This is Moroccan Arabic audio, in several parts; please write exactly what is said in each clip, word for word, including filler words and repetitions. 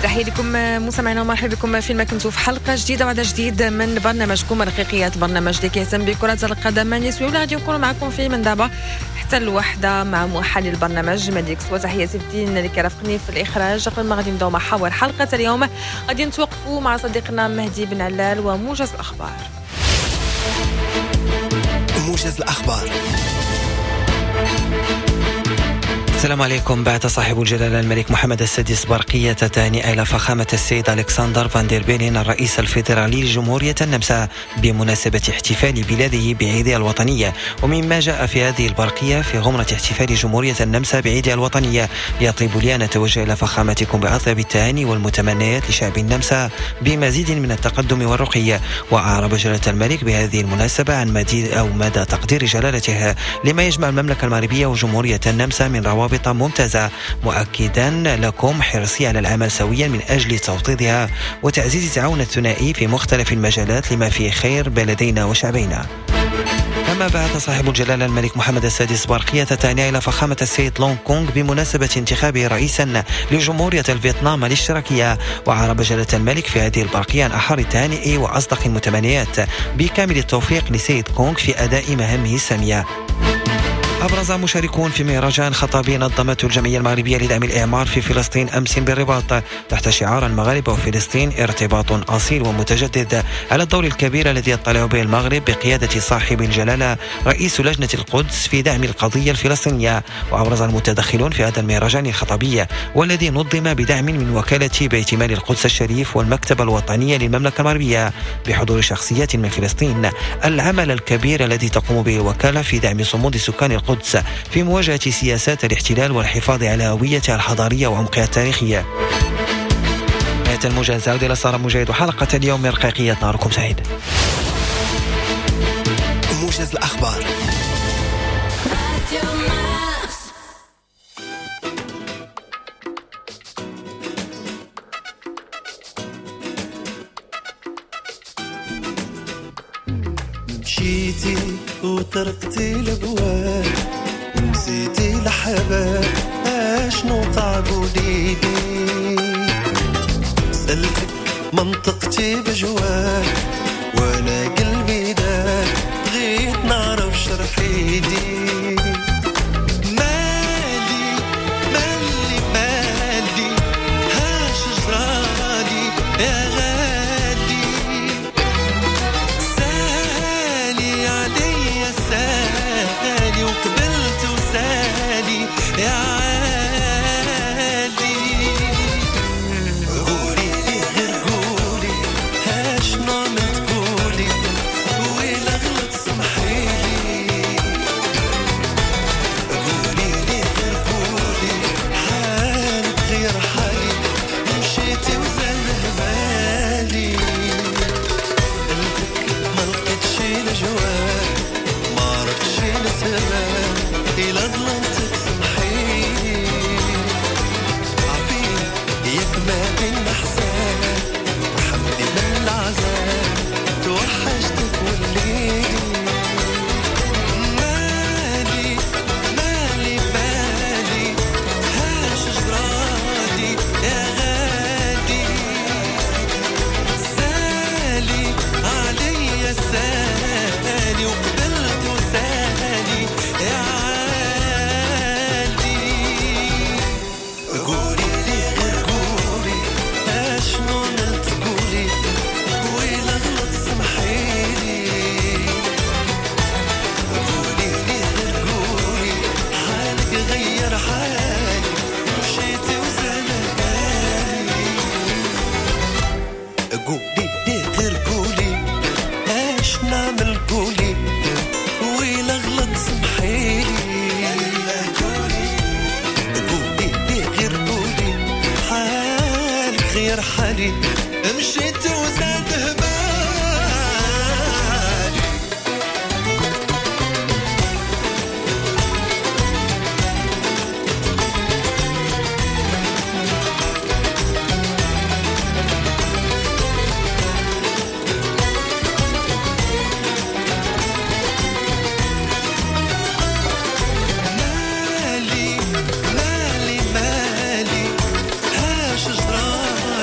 تحية لكم مستمعينا ومرحبا بكم فيما كنتوا في حلقة جديدة وعدد جديد من برنامجكم رقيقيات، برنامج اللي كيهتم بكرة القدم النسوية واللي غادي نكونوا معكم فيه من دابا حتى الوحدة مع محلل البرنامج مالك. وتحية سيف الدين اللي كيرافقني في الإخراج. قبل ما غادي نبداو محاور حلقة اليوم غادي نتوقفوا مع صديقنا مهدي بن علال وموجز الأخبار. موجز الأخبار. السلام عليكم. بعث صاحب الجلالة الملك محمد السادس برقية تهنئة إلى فخامة السيد ألكسندر فاندير بيلين الرئيس الفيدرالي لجمهورية النمسا بمناسبة احتفال بلاده بعيدها الوطنية. ومما جاء في هذه البرقية: في غمرة احتفال جمهورية النمسا بعيدها الوطنية، يطيب لي أن أتوجه إلى فخامتكم بأطيب التهاني والمتمنيات لشعب النمسا بمزيد من التقدم والرقي. وأعرب جلالة الملك بهذه المناسبة عن مدى أو مدى تقدير جلالته لما يجمع المملكة المغربية وجمهورية النمسا من روابط ممتازة، مؤكدا لكم حرصي على العمل سويا من أجل توطيدها وتعزيز التعاون الثنائي في مختلف المجالات لما فيه خير بلدينا وشعبينا. كما بعث صاحب الجلالة الملك محمد السادس برقية تهنئة إلى فخامة السيد لونغ كونغ بمناسبة انتخابه رئيسا لجمهورية الفيتنام الاشتراكية. وعرب جلالة الملك في هذه البرقية عن أحر التهانئ وأصدق المتمنيات بكامل التوفيق لسيد كونغ في أداء مهامه السامية. أبرز مشاركون في مهرجان خطابي نظمته الجمعية المغربية لدعم الإعمار في فلسطين أمس بالرباط تحت شعار المغاربة وفلسطين ارتباط أصيل ومتجدد على الدور الكبير الذي يطلع به المغرب بقيادة صاحب الجلالة رئيس لجنة القدس في دعم القضية الفلسطينية. وأبرز المتدخلون في هذا المهرجان الخطابي والذي نظم بدعم من وكالة بيت مال القدس الشريف والمكتبة الوطنية للمملكة المغربية بحضور شخصيات من فلسطين العمل الكبير الذي تقوم به الوكالة في دعم صمود سكان القدس في مواجهة سياسات الاحتلال والحفاظ على هويتها الحضارية وعمقها التاريخية. نهاية الموجز، عودة إلى سارة مجاهد وحلقة اليوم من رقيقية. نهاركم سعيد. موجز الأخبار. مشيتي وتركتي الابواب ونسيتي الحباب، اشنو وقع قوليلي؟ سألتك منطقتي بجواب وانا قلبي داب، بغيت نعرف شرحيلي. مالي مالي مالي هاش جرالي يا غالي، سالي عليا سالي وقبلت وسالي يا عالي. قولي لي غير قولي هاشنو عملت قولي، ويلا غلط سمحيلي. قولي لي غير قولي حالك غير حالي، مشيتي وزال هبالي. سألتك ما لقيتش الجواب، ما عرفتش السبب، إلا ظلمتك سمحيلي. عفيني ياك ما بينا حساب، رحمني من العذاب، توحشتك وليلي. مالي مالي مالي هاش جرالي يا غالي، سالي عليا سالي وقبلت وسالي يا عالي. قولي لي غير قولي اشنو عملت قولي، ويلا غلط سمحيلي. قولي لي غير قولي حالك غير حالي، مشيتي وزال بالي. قولي لي غير قولي اش نعمل قولي، ويلا غلط سمحيلي. قولي لي غير قولي حالك غير حالي، مشيت وزاد هبالي. مالي مالي مالي هاش جرالي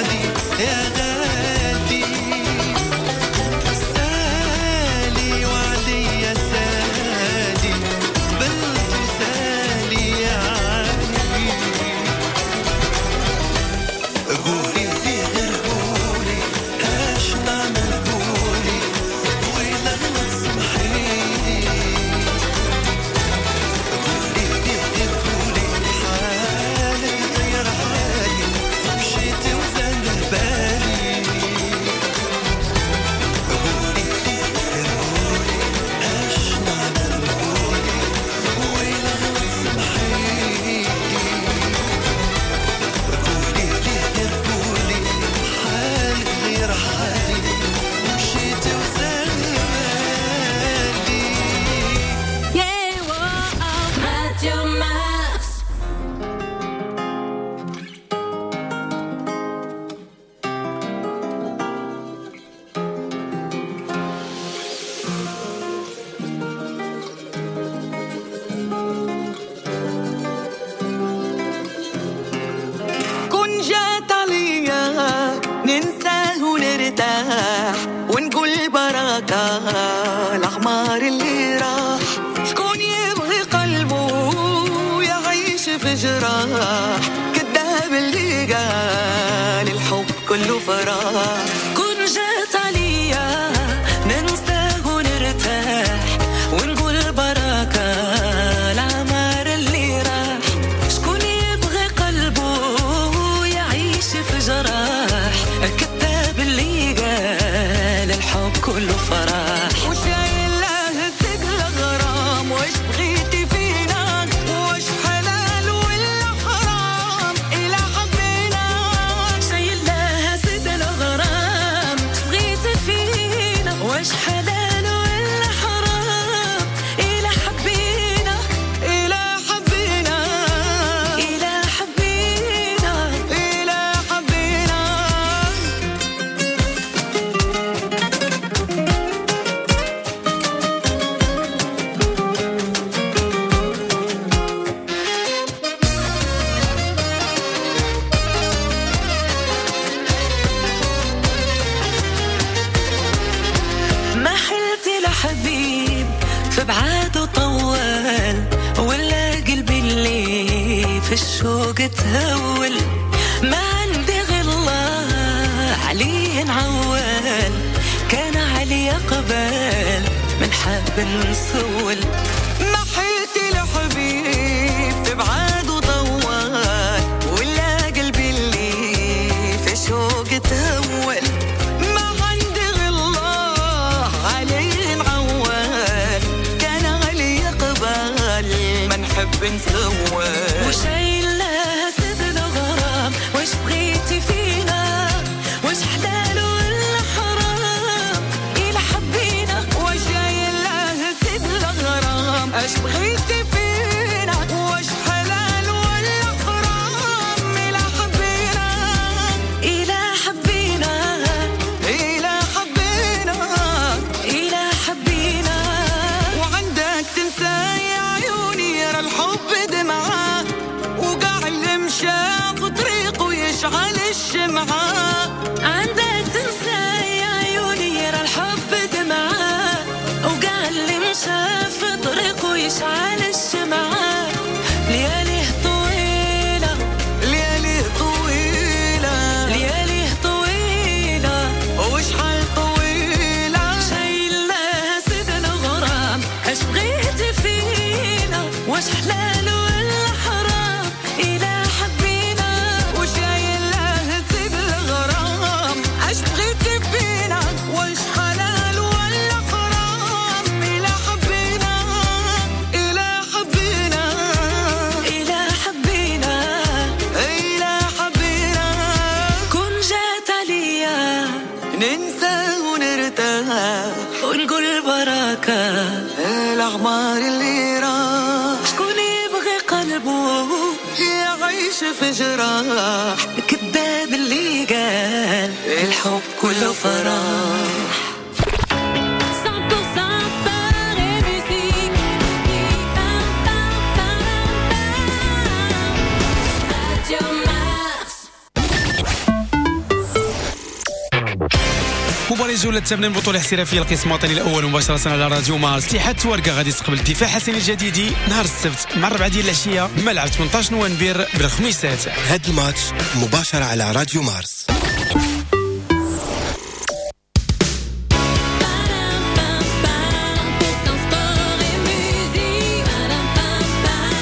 الأعمار اللي راح. شكون يبغي قلبه يعيش في جراح، كذاب اللي قال الحب كله فراح. كن جات عليا ننساه ونرتاح ونقول بركة العمر اللي راح. شكون يبغي قلبه يعيش في جراح، كذاب اللي قال الحب كله فرح. وشايل له ثقل غرام، واش بغيتي فينا، واش حلال ولا حرام إلى حبينا. شايل لها ثقل غرام، اش بغيتي فينا، واش حلال ولا حرام إلى حبينا، إلى حبينا، إلى حبينا، إلى حبينا. ما حلت لحبيب في بعاده طوال، ولا قلبي اللي في الشوق تهول. ما عندي غير الله عليه نعول، كان علي قبال من حاب نسول. ما حلت لحبيب في بعاده طوال، ولا قلبي اللي في الشوق تهول. ما عندي غير الله عليه نعول، كان علي قبال ما نحب نسول. وشايل لها سيد الغرام، واش بغيتي فينا، واش حلال ولا حرام إلى حبينا. وشايل لها سيد الغرام، اش بغيتي فينا، واش حلال ولا حرام إلى حبينا، إلى حبينا، إلى حبينا، إلى حبينا. وعندك تنسى يا عيوني يرى الحب دمعة، وقع اللي مشى في طريقه يشعل الشمعة. عندك تنسى يا عيوني يرى الحب دمعة، وقع اللي مشى في طريقه يشعل الشمعة. لياليه طويلة، ليالي طويلة، لياليه طويلة، وشحال طويلة. شايل لها سيد الغرام، اش بغيتي فينا، واش حلال ولا حرام إلى حبينا. وشايل لها سيد الغرام، اش بغيتي فينا، واش حلال ولا حرام إلى حبينا، إلى حبينا، إلى حبينا، إلى حبينا. كن جات عليا ننسى ونرتاح ونقول بركة الأعمار اللي راح. شكون يبغي قلبه يعيش في جراح، كذاب اللي قال الحب كله فرح. cent pour cent sport et musique. Pam, pam, pam, pam. Radio Mars. مباراة الجولة الثامنة من بطولة الاحترافية القسم الوطني الأول مباشرة على راديو مارس. اتحاد تواركة غادي يستقبل الدفاع حسن الجديدي نهار السبت مع الربعة ديال العشية بملعب ثمنطاش نوفمبر بالخميسات. هاد الماتش مباشرة على راديو مارس. Pam, pam, pam. cent pour cent sport et musique. Pam, pam, pam.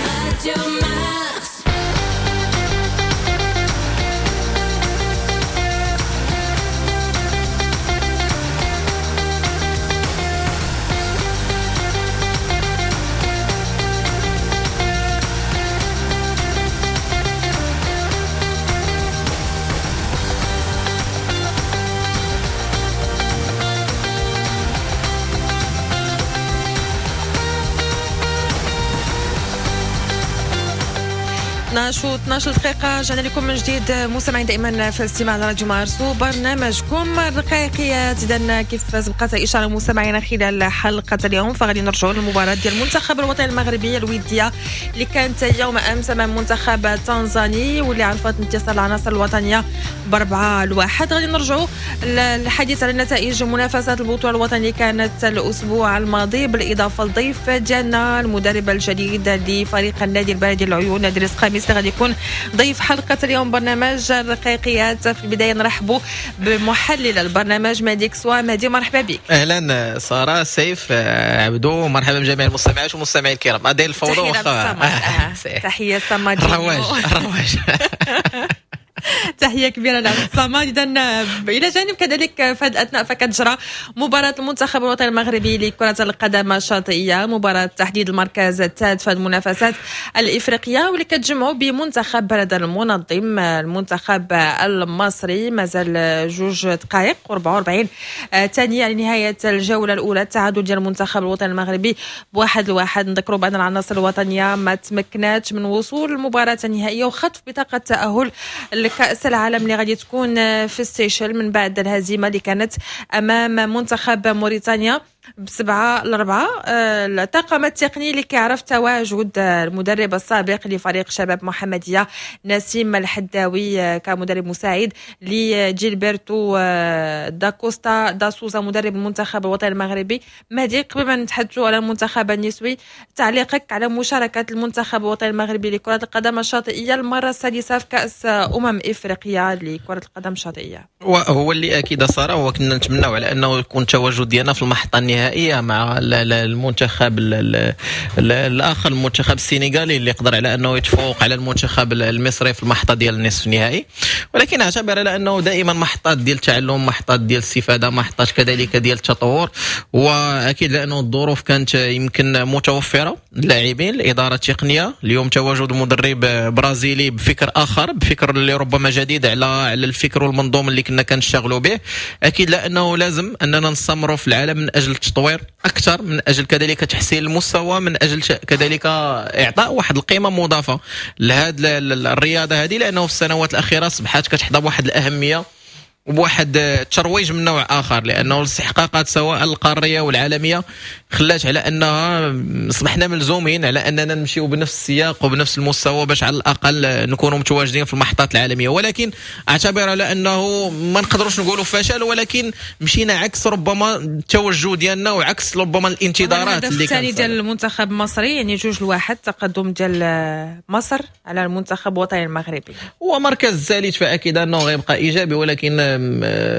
Radio Mars. Thank اثنا عشر و اثنا عشر دقيقة، رجعنا لكم من جديد مستمعين دائما في الاستماع لراديو مارس وبرنامجكم الرقيقيات. اذا كيف سبقت الاشارة مستمعينا خلال حلقة اليوم، فغادي نرجعوا للمباراة ديال المنتخب الوطني المغربي الودية اللي كانت يوم امس امام المنتخب التنزاني، واللي عرفت انتصار العناصر الوطنية بأربعة لواحد. غادي نرجعوا للحديث على نتائج منافسات البطولة الوطنية كانت الاسبوع الماضي، بالاضافة للضيف ديالنا المدرب الجديد لفريق النادي البلدي العيون ادريس خميس، اللي غادي يكون ضيف حلقة اليوم برنامج الرقيقيات. في البداية نرحبوا بمحلل البرنامج مهدي كسوا. مهدي، مرحبا بك. اهلا ساره، سيف، آه، عبدو، مرحبا بجميع المستمعات والمستمعين الكرام. داير الفوضى. واخا تحية صمد. الرواج الرواج. تحية كبيرة لعبد الصمد. اذا الى جانب كذلك في هذه الاثناء فكتجرى مباراة المنتخب الوطني المغربي لكرة القدم الشاطئيه، مباراة تحديد المركز الثالث في المنافسات الافريقيه، واللي كتجمعوا بمنتخب بلد المنظم المنتخب المصري. مازال جوج دقائق وأربعة وأربعين ثانية لنهاية الجولة الاولى، التعادل ديال المنتخب الوطني المغربي بواحد لواحد. نذكروا بان العناصر الوطنية ما تمكناتش من وصول المباراة النهائية وخطف بطاقة التاهل لكأس العالم اللي غادي تكون في السيشل، من بعد الهزيمة اللي كانت أمام منتخب موريتانيا بسبعة لأربعة. آه، الطاقم التقني اللي كيعرف تواجد المدرب السابق لفريق شباب محمدية نسيم الحداوي آه، كمدرب مساعد لجيلبرتو آه، داكوستا داسوزا مدرب المنتخب الوطني المغربي. مهدي، قبل ما نتحدثوا على المنتخب النسوي، تعليقك على مشاركة المنتخب الوطني المغربي لكرة القدم الشاطئية المرة السادسة في كأس أمم إفريقيا لكرة القدم الشاطئية؟ وهو اللي اكيد ساره هو كنا نتمناو على انه يكون التواجد ديالنا في المحطة النهائية مع المنتخب الاخر، المنتخب السنغالي اللي قدر على انه يتفوق على المنتخب المصري في المحطة ديال النصف النهائي. ولكن اعتبر على انه دائما محطات ديال التعلم، محطات ديال الاستفاده، محطات كذلك ديال التطور. واكيد لانه الظروف كانت يمكن متوفره، اللاعبين، الادارة التقنيه. اليوم تواجد مدرب برازيلي بفكر اخر، بفكر اللي ربما جديد على على الفكر والمنظومه اللي كنا كنشتغلوا به. اكيد لانه لازم اننا نستمروا في العالم من اجل التطوير اكثر، من اجل كذلك تحسين المستوى، من اجل كذلك اعطاء واحد القيمة مضافة لهذه الرياضة هذه، لانه في السنوات الاخيرة اصبحت كتحظى بواحد الاهمية وبواحد الترويج من نوع اخر، لانه الاستحقاقات سواء القارية والعالمية خلات على انها اصبحنا ملزومين على اننا نمشيو بنفس السياق وبنفس المستوى باش على الاقل نكونوا متواجدين في المحطات العالميه. ولكن اعتبر على انه ما نقدروش نقولوا فشل، ولكن مشينا عكس ربما التوجه ديالنا وعكس ربما الانتظارات. اللي الثاني ديال المنتخب المصري، يعني جوج لواحد تقدم ديال مصر على المنتخب الوطني المغربي. هو مركز الثالث فاكيد انه غيبقى ايجابي، ولكن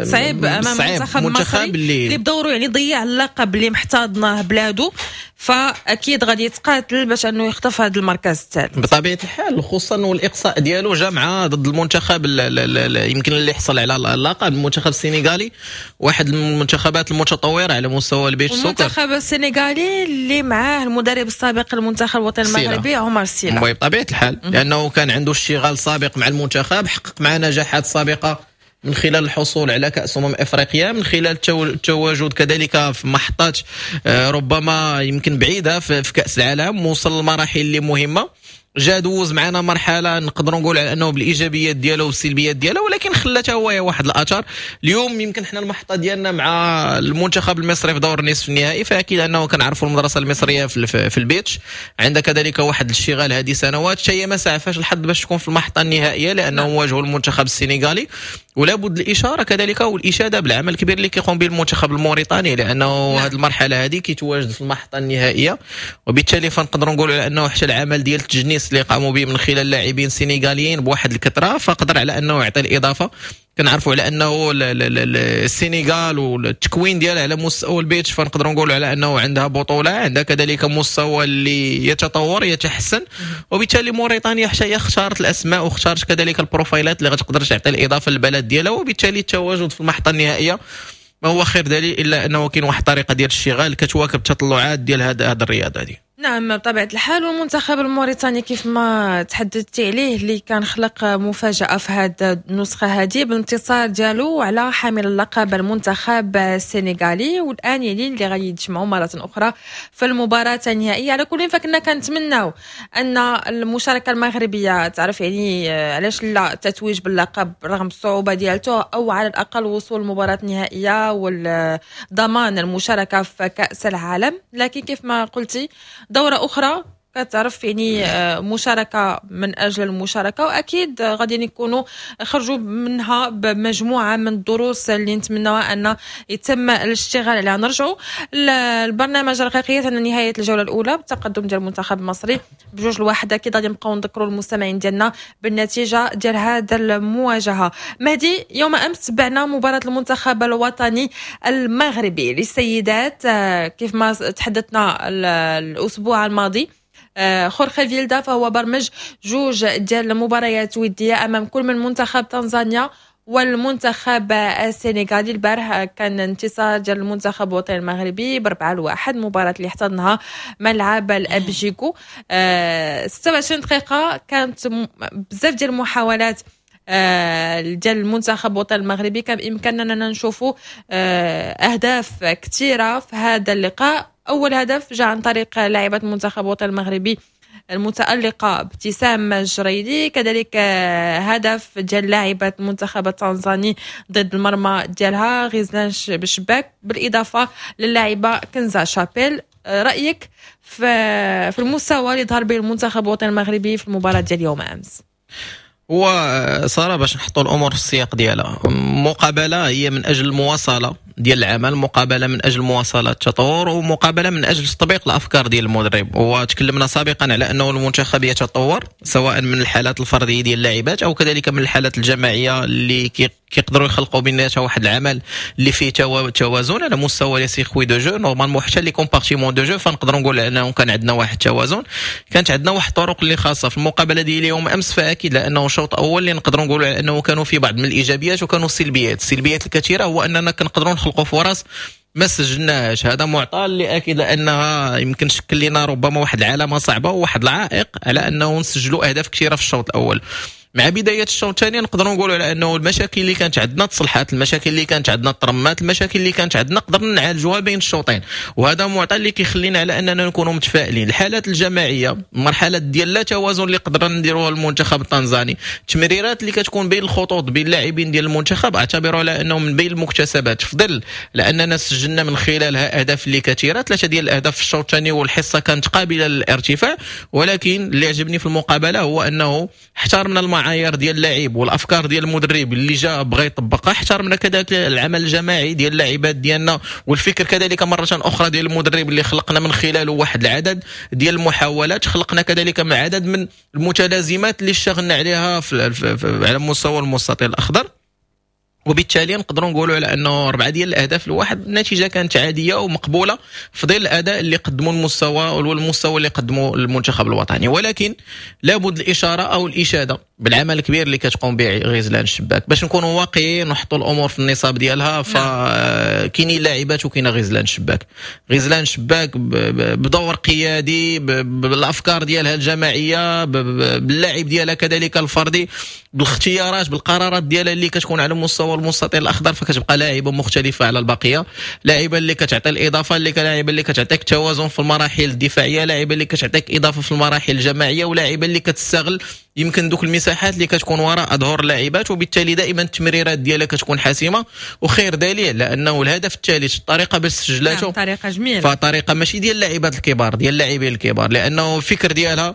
صعيب امام المنتخب المصري اللي, اللي بدوره يعني ضيع اللقب اللي محتضنه بلادو، فاكيد غادي يتقاتل باش انه يخطف هذا المركز الثالث. بطبيعة الحال، خصوصا والاقصاء ديالو جا مع ضد المنتخب يمكن اللي حصل على اللقب، المنتخب السنغالي، واحد المنتخبات المتطورة على مستوى ال beach soccer. المنتخب السنغالي اللي معاه المدرب السابق للمنتخب الوطني المغربي عمر سيلا. بطبيعة الحال، لانه كان عنده اشتغال سابق مع المنتخب، حقق معه نجاحات سابقه من خلال الحصول على كأس أمم أفريقيا، من خلال التواجد كذلك في محطات آه، ربما يمكن بعيدة في كأس العالم، وصل لمراحل اللي مهمة. جا دوز معنا مرحلة نقدروا نقول على انه بالايجابيات ديالو والسلبيات ديالو، ولكن خلاتها هو واحد الاثر. اليوم يمكن حنا المحطة ديالنا مع المنتخب المصري في دور النصف النهائي، فاكيد انه كنعرفوا المدرسة المصرية في, في ال beach، عندها كذلك واحد الاشتغال هذه سنوات. هي ما سعفاش الحظ باش تكون في المحطة النهائية لانه نعم. واجهوا المنتخب السنغالي. ولا بد الاشارة كذلك والاشاده بالعمل الكبير اللي كيقوم به المنتخب الموريتاني، لانه نعم. هذه المرحلة هذه كيتواجد في المحطة النهائيه، وبالتالي فنقدروا نقولوا على انه حتى العمل ديال التجنيس اللي قاموا به من خلال لاعبين سينغاليين بواحد الكثرة فقدر على انه يعطي الاضافه. كنعرفوا على انه السينغال والتكوين ديالها على مستوى ال beach، فنقدروا نقولوا على انه عندها بطوله، عندها كذلك مستوى اللي يتطور يتحسن. وبالتالي موريتانيا حتى هي اختارت الاسماء واختارت كذلك البروفايلات اللي غتقدر تعطي الاضافة للبلد ديالها، وبالتالي التواجد في المحطة النهائية ما هو خير دليل الا انه كاين واحد الطريقة ديال الاشتغال كتواكب التطلعات ديال هذا هذا الرياضة هذه. نعم بطبيعة الحال. والمنتخب الموريتاني كيف ما تحدثتي عليه اللي كان خلق مفاجأة في هذه النسخة هذه بالانتصار ديالو على حامل اللقب المنتخب السنغالي، والآن يعني اللي غادي يتجمعوا مرة أخرى في المباراة النهائية. على كل فكنا كنتمناو أن المشاركة المغربية تعرف يعني علاش لا التتويج باللقب رغم الصعوبة ديالته، أو على الأقل وصول المباراة النهائية والضمان المشاركة في كأس العالم. لكن كيف ما قلتي دورة أخرى كتعرف يعني مشاركة من أجل المشاركة، وأكيد غادي يكونوا خرجوا منها بمجموعة من الدروس اللي نتمناها أن يتم الاشتغال عليها. نرجعوا للبرنامج رقيقية أن نهاية الجولة الأولى بالتقدم ديال المنتخب المصري بجوج لواحد. أكيد غادي نبقاو نذكروا المستمعين ديالنا بالنتيجة ديال هذا المواجهة. مهدي، يوم أمس تبعنا مباراة المنتخب الوطني المغربي للسيدات كيف ما تحدثنا الأسبوع الماضي. خورخي فيلدا فهو برمج جوج ديال المباريات ودية أمام كل من منتخب تنزانيا والمنتخب السنغالي. البارح كان انتصار ديال المنتخب الوطني المغربي بأربعة لواحد، مباراة اللي احتضنها ملعب الأبجيكو. ستة وعشرين دقيقة كانت بزاف ديال المحاولات ديال المنتخب الوطني المغربي، كان بإمكاننا أننا نشوفوا أهداف كثيرة في هذا اللقاء. أول هدف جاء عن طريق لاعبة المنتخب الوطني المغربي المتألقة ابتسام الجريدي، كذلك هدف ديال لاعبة المنتخب التنزاني ضد المرمى ديالها غزلان بشباك، بالإضافة للاعبة كنزا شابيل. رأيك في المستوى اللي ظهر به المنتخب الوطني المغربي في المباراة ديال يوم أمس؟ هو سارة باش نحطوا الامور في السياق ديالها، مقابله هي من اجل المواصلة ديال العمل، مقابله من اجل مواصلة التطور، ومقابله من اجل تطبيق الافكار ديال المدرب. وتكلمنا سابقا على انه المنتخب يتطور سواء من الحالات الفردية ديال اللاعبات او كذلك من الحالات الجماعية اللي كيقدروا يخلقوا بيناتها واحد العمل اللي فيه توازن على مستوى les circuits de jeu. normalement حتى les compartiments de jeu فنقدروا نقول انه كان عندنا واحد التوازن، كانت عندنا واحد الطرق اللي خاصة في المقابلة ديال اليوم امس. فاكيد لانه شوط اول اللي نقدروا نقولوا على انه كانوا في بعض من الايجابيات وكانوا السلبيات. السلبيات الكثيرة هو اننا كنقدروا نخلقوا فرص ما سجلناهاش، هذا معطى اللي اكيد لانها يمكن شكل لنا ربما واحد العلامة صعبة وواحد العائق على انه نسجلوا اهداف كثيرة في الشوط الاول. مع بداية الشوط الثاني نقدروا نقولوا على انه المشاكل اللي كانت عندنا تصلحات، المشاكل اللي كانت عندنا ترمات، المشاكل اللي كانت عندنا قدرنا نعالجوها بين الشوطين، وهذا معطى اللي كيخلينا على اننا نكونوا متفائلين. الحالات الجماعية، المرحلة ديال لا توازن اللي قدرنا نديروها المنتخب التنزاني، التمريرات اللي كتكون بين الخطوط بين اللاعبين ديال المنتخب، اعتبروا على انه من بين المكتسبات، في ظل لاننا سجلنا من خلالها اهداف اللي كثيرة، ثلاثة ديال الاهداف في الشوط الثاني، والحصه كانت قابله للارتفاع. ولكن اللي عجبني في المقابلة هو انه احترمنا المعايير ديال اللاعب والافكار ديال المدرب اللي جا بغى يطبقها، احترمنا كذلك العمل الجماعي ديال اللاعبات ديالنا والفكر كذلك مرة اخرى ديال المدرب اللي خلقنا من خلاله واحد العدد ديال المحاولات، خلقنا كذلك مع عدد من المتلازمات اللي اشتغلنا عليها في في على مستوى المستطيل الاخضر. وبالتالي نقدروا نقولوا على انه اربعة ديال الاهداف لواحد، النتيجة كانت عادية ومقبوله في ظل الاداء اللي قدموا المستوى والمستوى اللي قدموا المنتخب الوطني. ولكن لابد الاشارة او الاشادة بالعمل الكبير اللي كتقوم به غزلان الشباك باش نكونوا واقعيين ونحطوا الامور في النصاب ديالها. فكاينين لاعبات وكاينه غزلان الشباك، غزلان الشباك بدور قيادي، بالافكار ديالها الجماعية، باللاعب ديالها كذلك الفردي، بالاختيارات، بالقرارات ديالها اللي كتكون على مستوى المستطيل الاخضر، فكتبقى لاعبه مختلفة على البقية، لاعبه اللي كتعطي الاضافة، اللي لاعبه اللي كتعطيك توازن في المراحل الدفاعية، لاعبه اللي كتعطيك اضافه في المراحل الجماعية، ولاعبه اللي كتستغل يمكن دوك المساحات اللي كتكون وراء اظهر اللاعبات، وبالتالي دائما التمريرات ديالها كتكون حاسمة. وخير دليل لانه الهدف الثالث الطريقة باش سجلاته طريقه جميلة، فطريقة ماشي ديال اللاعبات الكبار، ديال اللاعبين الكبار، لانه الفكر ديالها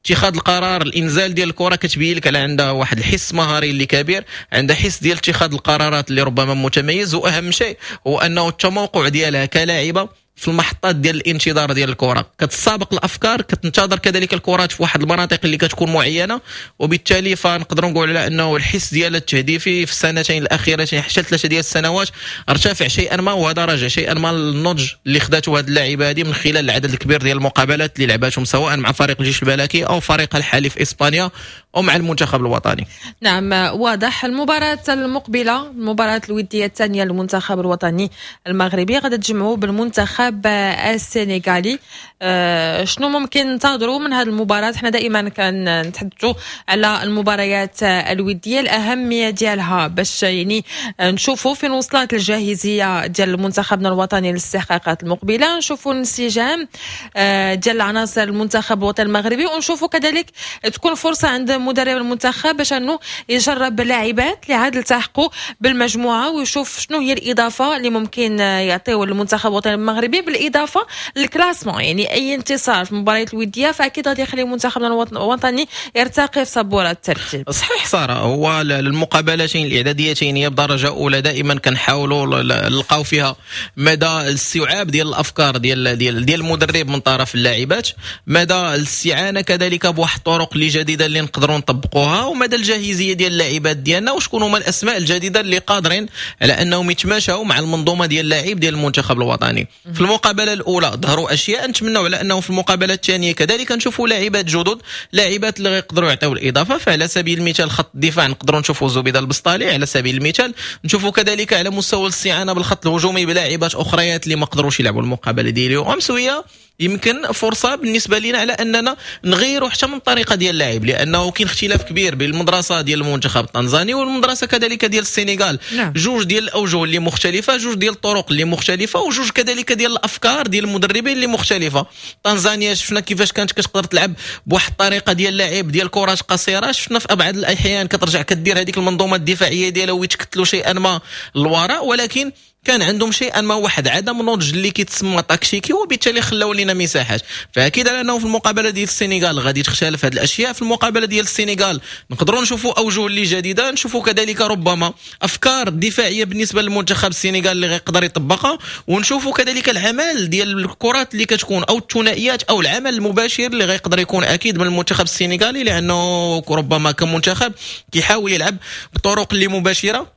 اتخاذ القرار، الانزال ديال الكره كتبين لك على عندها واحد الحس مهاري اللي كبير، عندها حس ديال اتخاذ القرارات اللي ربما متميز، واهم شيء هو انه التموقع ديالها كلاعبه في المحطات ديال الانتظار ديال الكره، كتسابق الافكار، كتنتظر كذلك الكرات في واحد المناطق اللي كتكون معينة، وبالتالي فنقدروا نقول على انه الحس ديال التهديفي في السنتين الاخيرتين حتى ثلاثة ديال السنوات ارتفع شيئا ما، وهذا راجع شيئا ما للنضج اللي خداته هذه اللاعبه هذه من خلال العدد الكبير ديال المقابلات اللي لعباتهم سواء مع فريق الجيش الملكي او فريق الحالي في اسبانيا او مع المنتخب الوطني. نعم واضح. المباراة المقبلة، المباراة الودية الثانية للمنتخب الوطني المغربي، غادي تجمعوا بالمنتخب السنغالي. أه شنو ممكن ننتظروا من هذه المباراة؟ احنا دائما كنتحدثوا على المباريات الودية، الأهمية ديالها باش يعني نشوفوا فين وصلت الجاهزية ديال منتخبنا الوطني للاستحقاقات المقبلة، نشوفوا الانسجام ديال عناصر المنتخب الوطني المغربي، ونشوفوا كذلك تكون فرصة عند مدرب المنتخب باش انه يجرب لاعبات اللي عاد التحقوا بالمجموعة ويشوف شنو هي الاضافة اللي ممكن يعطيو المنتخب الوطني المغربي، بالاضافة لل classement. يعني اي انتصار في المباريات الودية فاكيد غادي يخلي منتخبنا الوطني يرتقي في سبورة الترتيب. صحيح ساره، هو المقابلتين الاعداديتين هي بدرجة اولى دائما كنحاولوا نلقاو فيها مدى الاستيعاب ديال الافكار ديال ديال ديال المدرب من طرف اللاعبات، مدى الاستعانة كذلك بواحد الطرق اللي جديدة اللي نقدروا نطبقوها، ومدى الجاهزيه ديال اللاعبات ديالنا، وشكون هما الاسماء الجديدة اللي قادرين على انهم يتماشاو مع المنظومة ديال اللاعب ديال المنتخب الوطني. في المقابلة الاولى ظهروا اشياء، نتمنوا على انه في المقابلة الثانية كذلك نشوفوا لاعبات جدد، لاعبات اللي يقدروا يعطيو الاضافة. فعلى سبيل المثال خط الدفاع نقدروا نشوفوا زبيده البسطالي على سبيل المثال، نشوفوا كذلك على مستوى الاستعانة بالخط الهجومي بلاعبات اخريات اللي ما قدروش يلعبوا المقابلة ديال اليوم. امس يمكن فرصة بالنسبة لنا على اننا نغيروا حتى من الطريقة ديال اللعب، لانه كاين اختلاف كبير بين المدرسة ديال المنتخب التنزاني والمدرسة كذلك ديال السنغال. نعم. جوج ديال الاوجه اللي مختلفة، جوج ديال الطرق اللي مختلفة، وجوج كذلك ديال الافكار ديال المدربين اللي مختلفة. تنزانيا شفنا كيفاش كانت كتقدر تلعب بواحد الطريقة ديال اللعب ديال كرات قصيرة، شفنا في ابعد الاحيان كترجع كدير هذيك المنظومة الدفاعية ديالها ويتكتلوا شيئا ما للوراء، ولكن كان عندهم شيئا ما واحد عدم نضج اللي كيتسمى تاكتيكي، وبالتالي خلاو لنا مساحات. فاكيد على انه في المقابلة ديال السنغال غادي تختلف هذه الاشياء. في المقابلة ديال السنغال نقدروا نشوفوا اوجه اللي جديدة، نشوفوا كذلك ربما افكار دفاعية بالنسبة للمنتخب السنغال اللي غيقدر يطبقها، ونشوفوا كذلك العمل ديال الكرات اللي كتكون او الثنائيات او العمل المباشر اللي غيقدر يكون اكيد من المنتخب السنغالي، لانه ربما كمنتخب كيحاول يلعب بطرق اللي مباشرة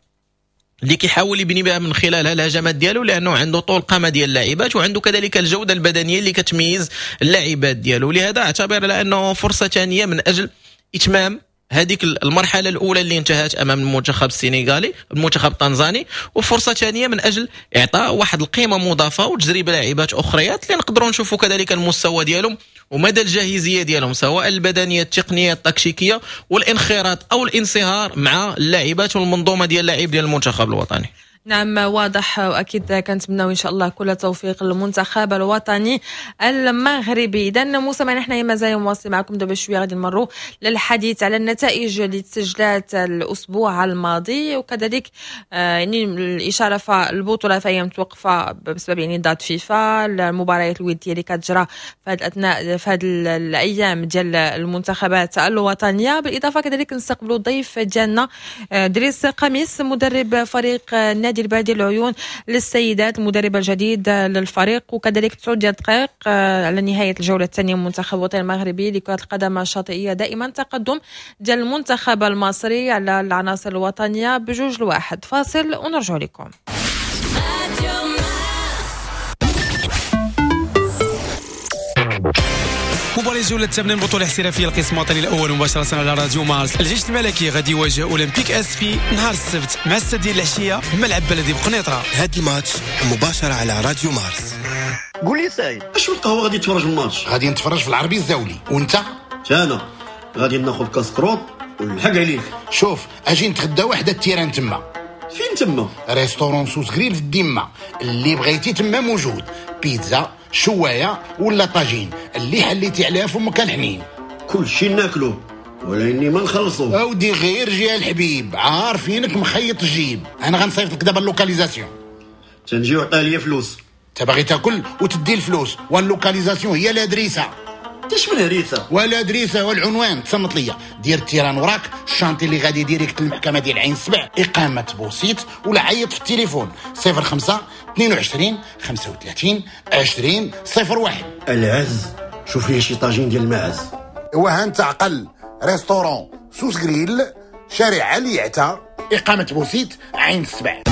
اللي كيحاول يبني بها من خلالها الهجمات ديالو، لانه عنده طول قامه ديال اللاعبات وعنده كذلك الجودة البدنية اللي كتميز اللاعبات ديالو. لهذا اعتبر على انه فرصة ثانية من اجل اتمام هذيك المرحلة الاولى اللي انتهت امام المنتخب السنغالي المنتخب التنزاني، وفرصه ثانية من اجل اعطاء واحد القيمة مضافة وتجريب لاعبات اخريات اللي نقدروا نشوفوا كذلك المستوى ديالهم ومدى الجاهزيه ديالهم سواء البدنية التقنية التكتيكيه والانخراط او الانصهار مع اللاعبات والمنظومه ديال اللاعب ديال المنتخب الوطني. نعم واضح، واكيد كنتمناو ان شاء الله كل التوفيق للمنتخب الوطني المغربي. اذا موسى معنا حنايا مازال مواصل معكم دابا شوية، غادي نمروا للحديث على النتائج اللي تسجلات الاسبوع الماضي، وكذلك يعني الاشارة فالبطوله فهي متوقفه بسبب يعني date فيفا، المباريات الودية اللي كتجرى في هذه الاثناء في هذه الايام ديال المنتخبات الوطنية. بالاضافة كذلك نستقبلوا الضيف ديالنا دريس قميص مدرب فريق نادي البادي العيون للسيدات، المدرب الجديد للفريق، وكذلك تسعة ديال الدقائق على نهاية الجولة الثانية من المنتخب الوطني المغربي لكرة القدم الشاطئية. دائما تقدم ديال المنتخب المصري على العناصر الوطنية بجوج لواحد. فاصل ونرجع لكم. مباراة الجولة الثامنة من بطولة الاحترافية القسم الوطني الأول مباشرة على راديو مارس. الجيش الملكي غادي يواجه أولمبيك أسفي نهار السبت مع الستة ديال العشية بملعب بلدي بقنيطرة. هاد الماتش مباشرة على راديو مارس. قول لي سعيد، اش القهوة غادي تفرج الماتش؟ غادي نتفرج في العربي الزاولي، وانت؟ انا غادي ناخذ كاسكروط ونلحق عليك. شوف اجي نتغدى وحده ال terrain تما. فين تما؟ restaurant سوس غريل في الديمه، اللي بغيتي تما موجود، بيتزا شوايه ولا طاجين، اللي حليتي عليها فمك الحنين. كل شيء ناكلو ولاني ما نخلصو. اودي غير جي الحبيب، عارفينك مخيط الجيب. انا غنصيفط لك دابا ال localisation. تنجي وعطي لي فلوس. انت باغي تاكل وتدي الفلوس، وال localisation هي l'adresse. تاش من هريسه؟ ولا l'adresse والعنوان. تصنت ليا، دير ال terrain وراك، ال chantier اللي غادي direct للمحكمة ديال عين السبع، اقامه بوسيط، ولا عيط في التليفون صفر خمسة اثنين وعشرين خمسة وثلاثين عشرين صفر واحد. العز، شوف لي شي طاجين ديال الماعز. وها انت عقل، restaurant سوس غريل، شارع علي عتا، اقامه بوسيط، عين السبع.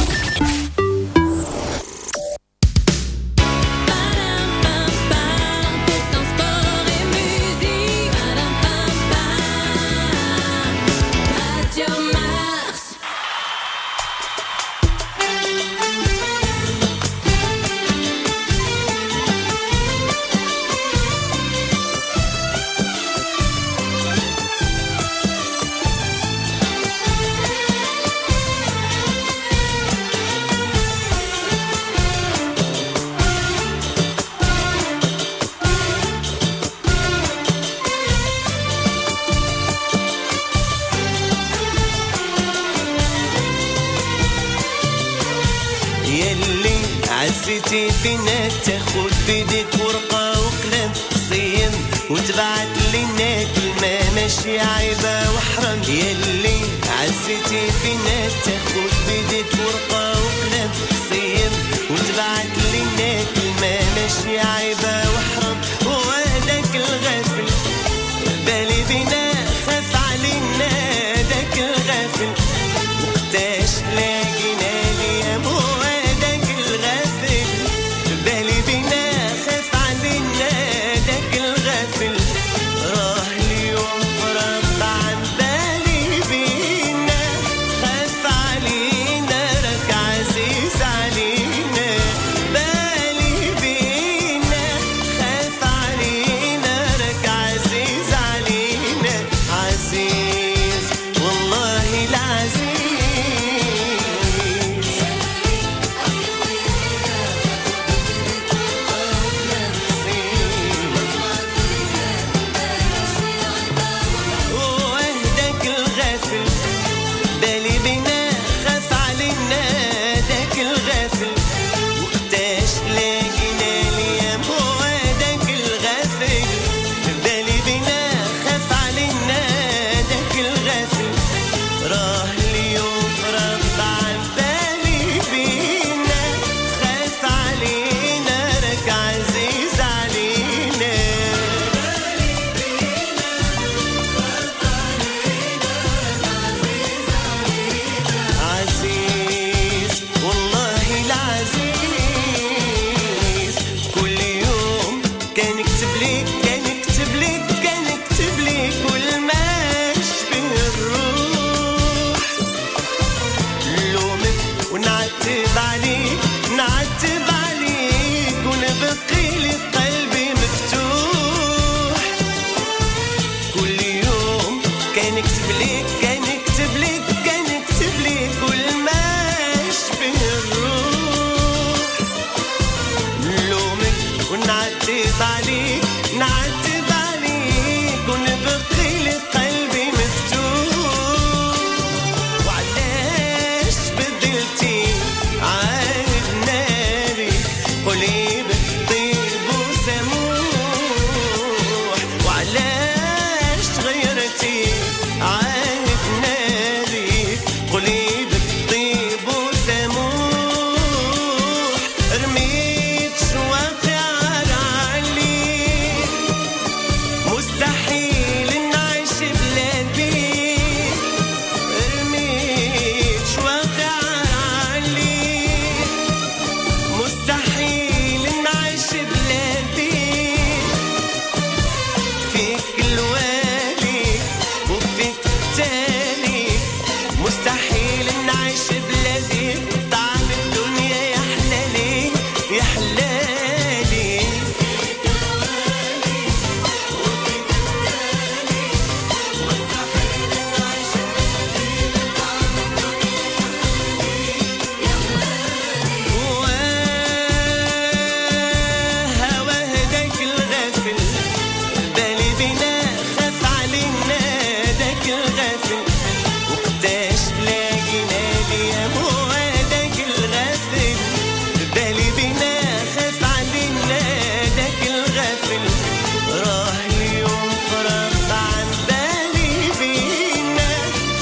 عزيتي فينا تاخد بيديك ورقة وقلم صيم وتبعت لنا كلمة ماشي عيبة وحرام. يلي عزيتي فينا تاخد بيديك ورقة وقلم صيم وتبعت لنا كلمة ماشي عيبة وحرام. وهداك الغافل بالي بينا خاف علينا، داك الغافل وقتاش لاقينا ليام. وهداك الغافل بالي بينا خاف علينا، داك الغافل راه اليوم فرط عن بالي بينا، خاف علينا راك عزيز علينا. بالي بينا خاف علينا راك عزيز علينا، عزيز والله العزيز. وهداك الغافل بالي بينا خاف علينا، داك الغافل وقتاش لاقينا ليام. وهداك الغافل بالي بينا خاف علينا، داك الغافل راه اليوم فرط عن بالي بينا، خاف علينا راك عزيز علينا. عزيز والله العزيز. كل يوم كان يكتب لك كان يكتب لك كان يكتب لك كل ما يشبه الروح. لومك ونعتب عليك نعتب عليك ونبقي لك قلبي مفتوح. كل يوم كان يكتب لك كان يكتب لك كان يكتب لك كل ما يشبه الروح. نلومك ونعتب عليك نعتب عليك ونبقي لك قلبي مفتوح. وعلاش بدلتي عهدنا بيك قولي بالطيب وسموح. وعلاش غيرتي عهدنا بيك قولي بالطيب وسموح. رميت شواقي على عليك مستحيل نعيش بلا بيك. رميت شواقي على عليك مستحيل نعيش بلا بيك. فيك الوالي وفيك التالي مستحيل نعيش بلا بيك. طعم الدنيا يا حلالي يا حلالي. وهوى هداك الغافل بالي بينا خاف علينا، داك الغافل وقتاش لاقينا ليام. وهداك الغافل بالي بينا خاف علينا، داك الغافل راه اليوم فرط عن بالي بينا،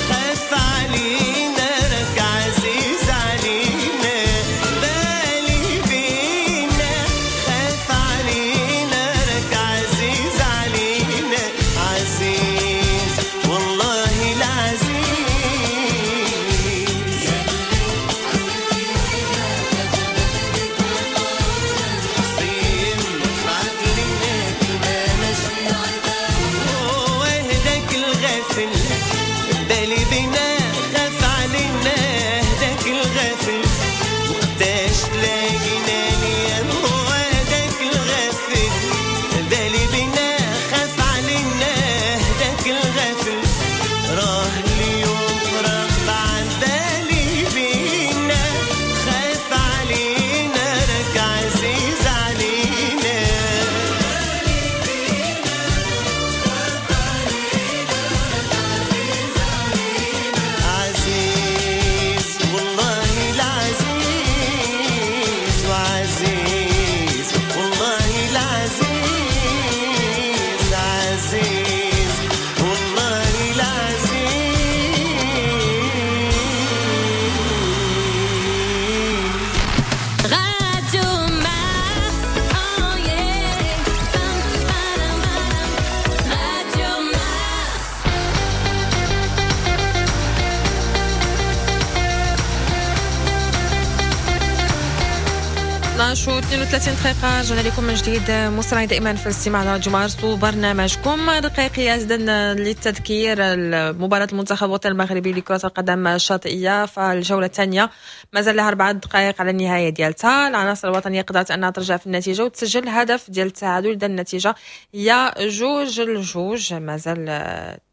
خاف علينا راك عزيز علينا. بالي بينا خاف علينا راك عزيز علينا، عزيز والله العزيز. اثنا عشر و اثنين وثلاثين دقيقة، رجعنا لكم من جديد مستمعين دائما في الاستماع على راديو مارس وبرنامجكم رقيقيات. إذن للتذكير، مباراة المنتخب الوطني المغربي لكرة القدم الشاطئية فالجولة الثانية مازال لها أربعة دقائق على النهاية ديالتها. العناصر الوطنية قدرت أنها ترجع في النتيجة وتسجل هدف ديال التعادل. إذن النتيجة هي جوج لجوج، مازال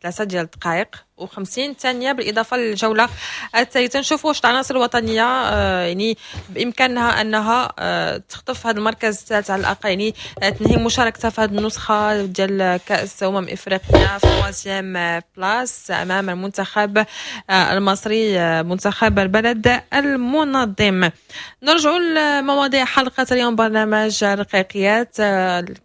ثلاثة ديال الدقائق وخمسين ثانية. بالإضافة للجولة الثالثة، نشوفوا واش العناصر الوطنية آه، يعني بإمكانها أنها آه، تخطف هذا المركز الثالث على الأقل، يعني آه، تنهي مشاركتها في هذه النسخة ديال كأس أمم إفريقيا في troisième place أمام المنتخب المصري، منتخب البلد المنظم. نرجع لمواضيع حلقة اليوم برنامج رقيقيات.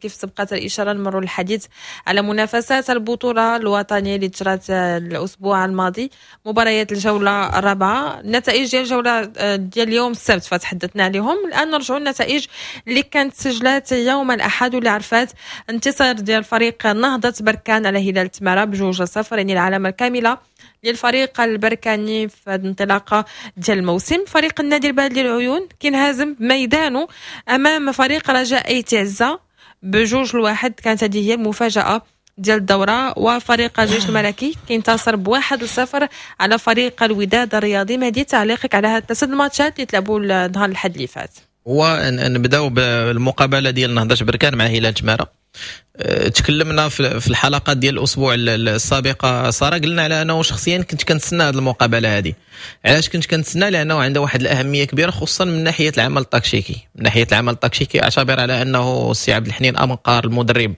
كيف سبقت الإشارة، نمر الحديث على منافسات البطولة الوطنية اللي جرت الأسبوع الماضي، مباريات الجولة الرابعة. النتائج ديال الجولة ديال اليوم السبت فتحدثنا عليهم. الآن نرجعوا للنتائج اللي كانت سجلات يوم الأحد واللي عرفات انتصار ديال فريق نهضة بركان على هلال تمارة بجوج صفر، يعني العلامة الكاملة للفريق البركاني في هذه الانطلاقة ديال الموسم. فريق النادي البلدي للعيون كينهزم بميدانه أمام فريق رجاء آيت عزة بجوج لواحد، كانت هذه هي المفاجأة ديال الدورة. وفريق الجيش الملكي كينتصر بواحد لصفر على فريق الوداد الرياضي. مهدي، تعليقك على هاد الثلاث الماتشات اللي تلعبوا نهار الأحد اللي فات؟ هو نبداو بالمقابلة ديال نهضة بركان مع هلال تماره. أه، تكلمنا في الحلقات ديال الاسبوع السابقة ساره، قلنا على انه شخصيا كنت كنتسنى هذه المقابلة هذه. علاش كنت كنتسنى؟ لانه عندها واحد الاهمية كبيرة خصوصا من ناحية العمل التكتيكي. من ناحية العمل التكتيكي، اعتبر على انه السي عبد الحنين امقار المدرب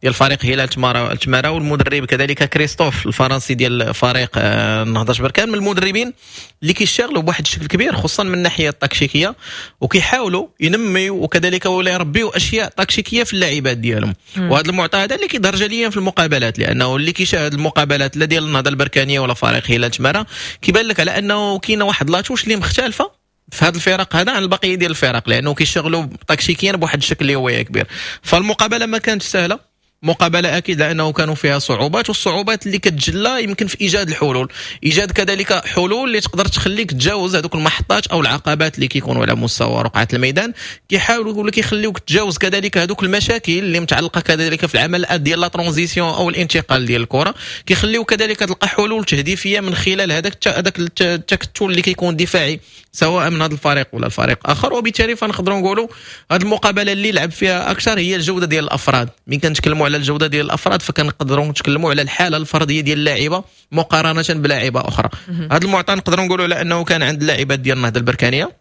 ديال فريق هلال تمارا تمارا والمدرب كذلك كريستوف الفرنسي ديال فريق آه، نهضة بركان من المدربين اللي كيشتغلوا بواحد الشكل كبير خصوصا من الناحية التكتيكيه، وكيحاولوا ينميوا وكذلك ولا يربيوا اشياء تكتيكية في اللاعبات ديالهم. وهذا المعطى هذا اللي كيظهر جليا في المقابلات، لانه اللي كيشاهد المقابلات لا ديال النهضة البركانيه ولا فريق هلال تمارا كيبان لك على انه كاينه واحد la touche اللي مختلفة في هذا الفرق هذا عن البقية ديال الفرق، لانه كيشتغلوا تكتيكيا بواحد الشكل اللي هو كبير. فالمقابله ما كانتش سهله، مقابله اكيد لانه كانوا فيها صعوبات، والصعوبات اللي كتجلى يمكن في ايجاد الحلول، ايجاد كذلك حلول اللي تقدر تخليك تجاوز هذوك المحطات او العقبات اللي كيكونوا على مستوى رقعه الميدان، كيحاولوا ولا كيخليوك تجاوز كذلك هذوك المشاكل اللي متعلقه كذلك في العمل ديال la transition او الانتقال ديال الكره، كيخليوك كذلك تلقى حلول تهديفيه من خلال هذاك هذاك التكتل اللي كيكون دفاعي سواء من هذا الفريق ولا الفريق اخر. وبالتالي فنقدروا نقولوا هذه المقابلة اللي لعب فيها اكثر هي الجودة ديال الافراد. من كنتكلموا على الجودة ديال الافراد فكنقدروا نتكلموا على الحالة الفردية ديال اللاعبه مقارنة بلاعيبه اخرى. هذا المعطى نقدروا نقولوا على انه كان عند اللاعبات ديال النهضة البركانيه،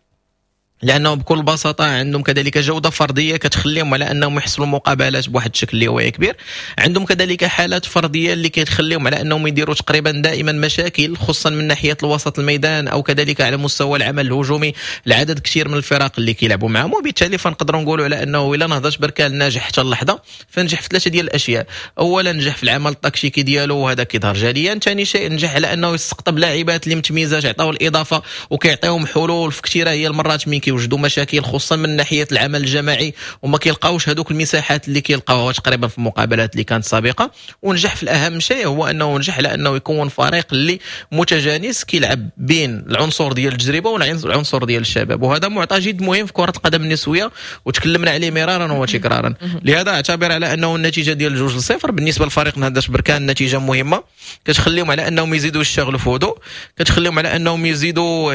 لانه بكل بساطة عندهم كذلك جوده فردية كتخليهم على انهم يحصلوا مقابلات بواحد الشكل اللي هو كبير. عندهم كذلك حالات فردية اللي كتخليهم على انهم يديروا تقريبا دائما مشاكل خصوصا من ناحية الوسط الميدان او كذلك على مستوى العمل الهجومي العدد كثير من الفرق اللي كيلعبوا معهم. وبالتالي فنقدروا نقولوا على انه الا نهضة بركان ناجح حتى اللحظة فنجح في ثلاثة ديال الاشياء: اولا نجح في العمل التكتيكي ديالو وهذا كيظهر جليا، ثاني شيء نجح على انه يستقطب لاعبات اللي متميزات يعطيو الاضافة وكيعطيهم حلول في كثيرة هي المرات من كيوجدوا مشاكل خصوصا من ناحية العمل الجماعي وما كيلقاوش هذوك المساحات اللي كيلقاوها تقريبا في المقابلات اللي كانت سابقه. ونجح في الاهم شيء هو انه نجح على انه يكون فريق اللي متجانس كيلعب بين العنصر ديال التجربة والعنصر ديال الشباب، وهذا معطى جد مهم في كره القدم النسوية وتكلمنا عليه مرارا وتكرارا. لهذا اعتبر على انه النتيجة ديال جوج لصفر بالنسبة لفريق نهضة بركان نتيجة مهمة كتخليهم على انهم يزيدوا يشتغلوا في هدوء، كتخليهم على انهم يزيدوا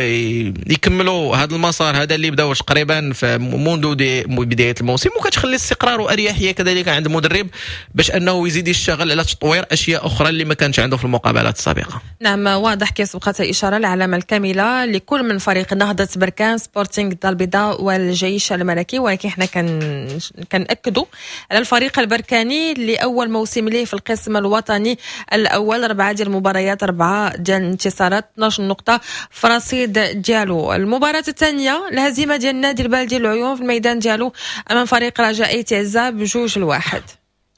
يكملوا هذا المسار هذا اللي بداو تقريبا في منذ بداية الموسم، وكتخلي استقرار واريحيه كذلك عند المدرب باش انه يزيد يشتغل على تطوير اشياء اخرى اللي ما كانش عنده في المقابلات السابقة. نعم، واضح كيف سبقت الاشارة العلامة الكاملة لكل من فريق نهضة بركان، سبورتينغ الدار البيضاء والجيش الملكي، ولكن احنا كان كنأكدوا على الفريق البركاني اللي اول موسم ليه في القسم الوطني الاول، اربعة ديال المباريات، اربعة ديال الانتصارات، اثنا عشر نقطة في رصيد ديالو. المباراة الثانيه، الهزيمة ديال النادي البلدي العيون في الميدان ديالو امام فريق رجاء آيت عزة بجوج لواحد.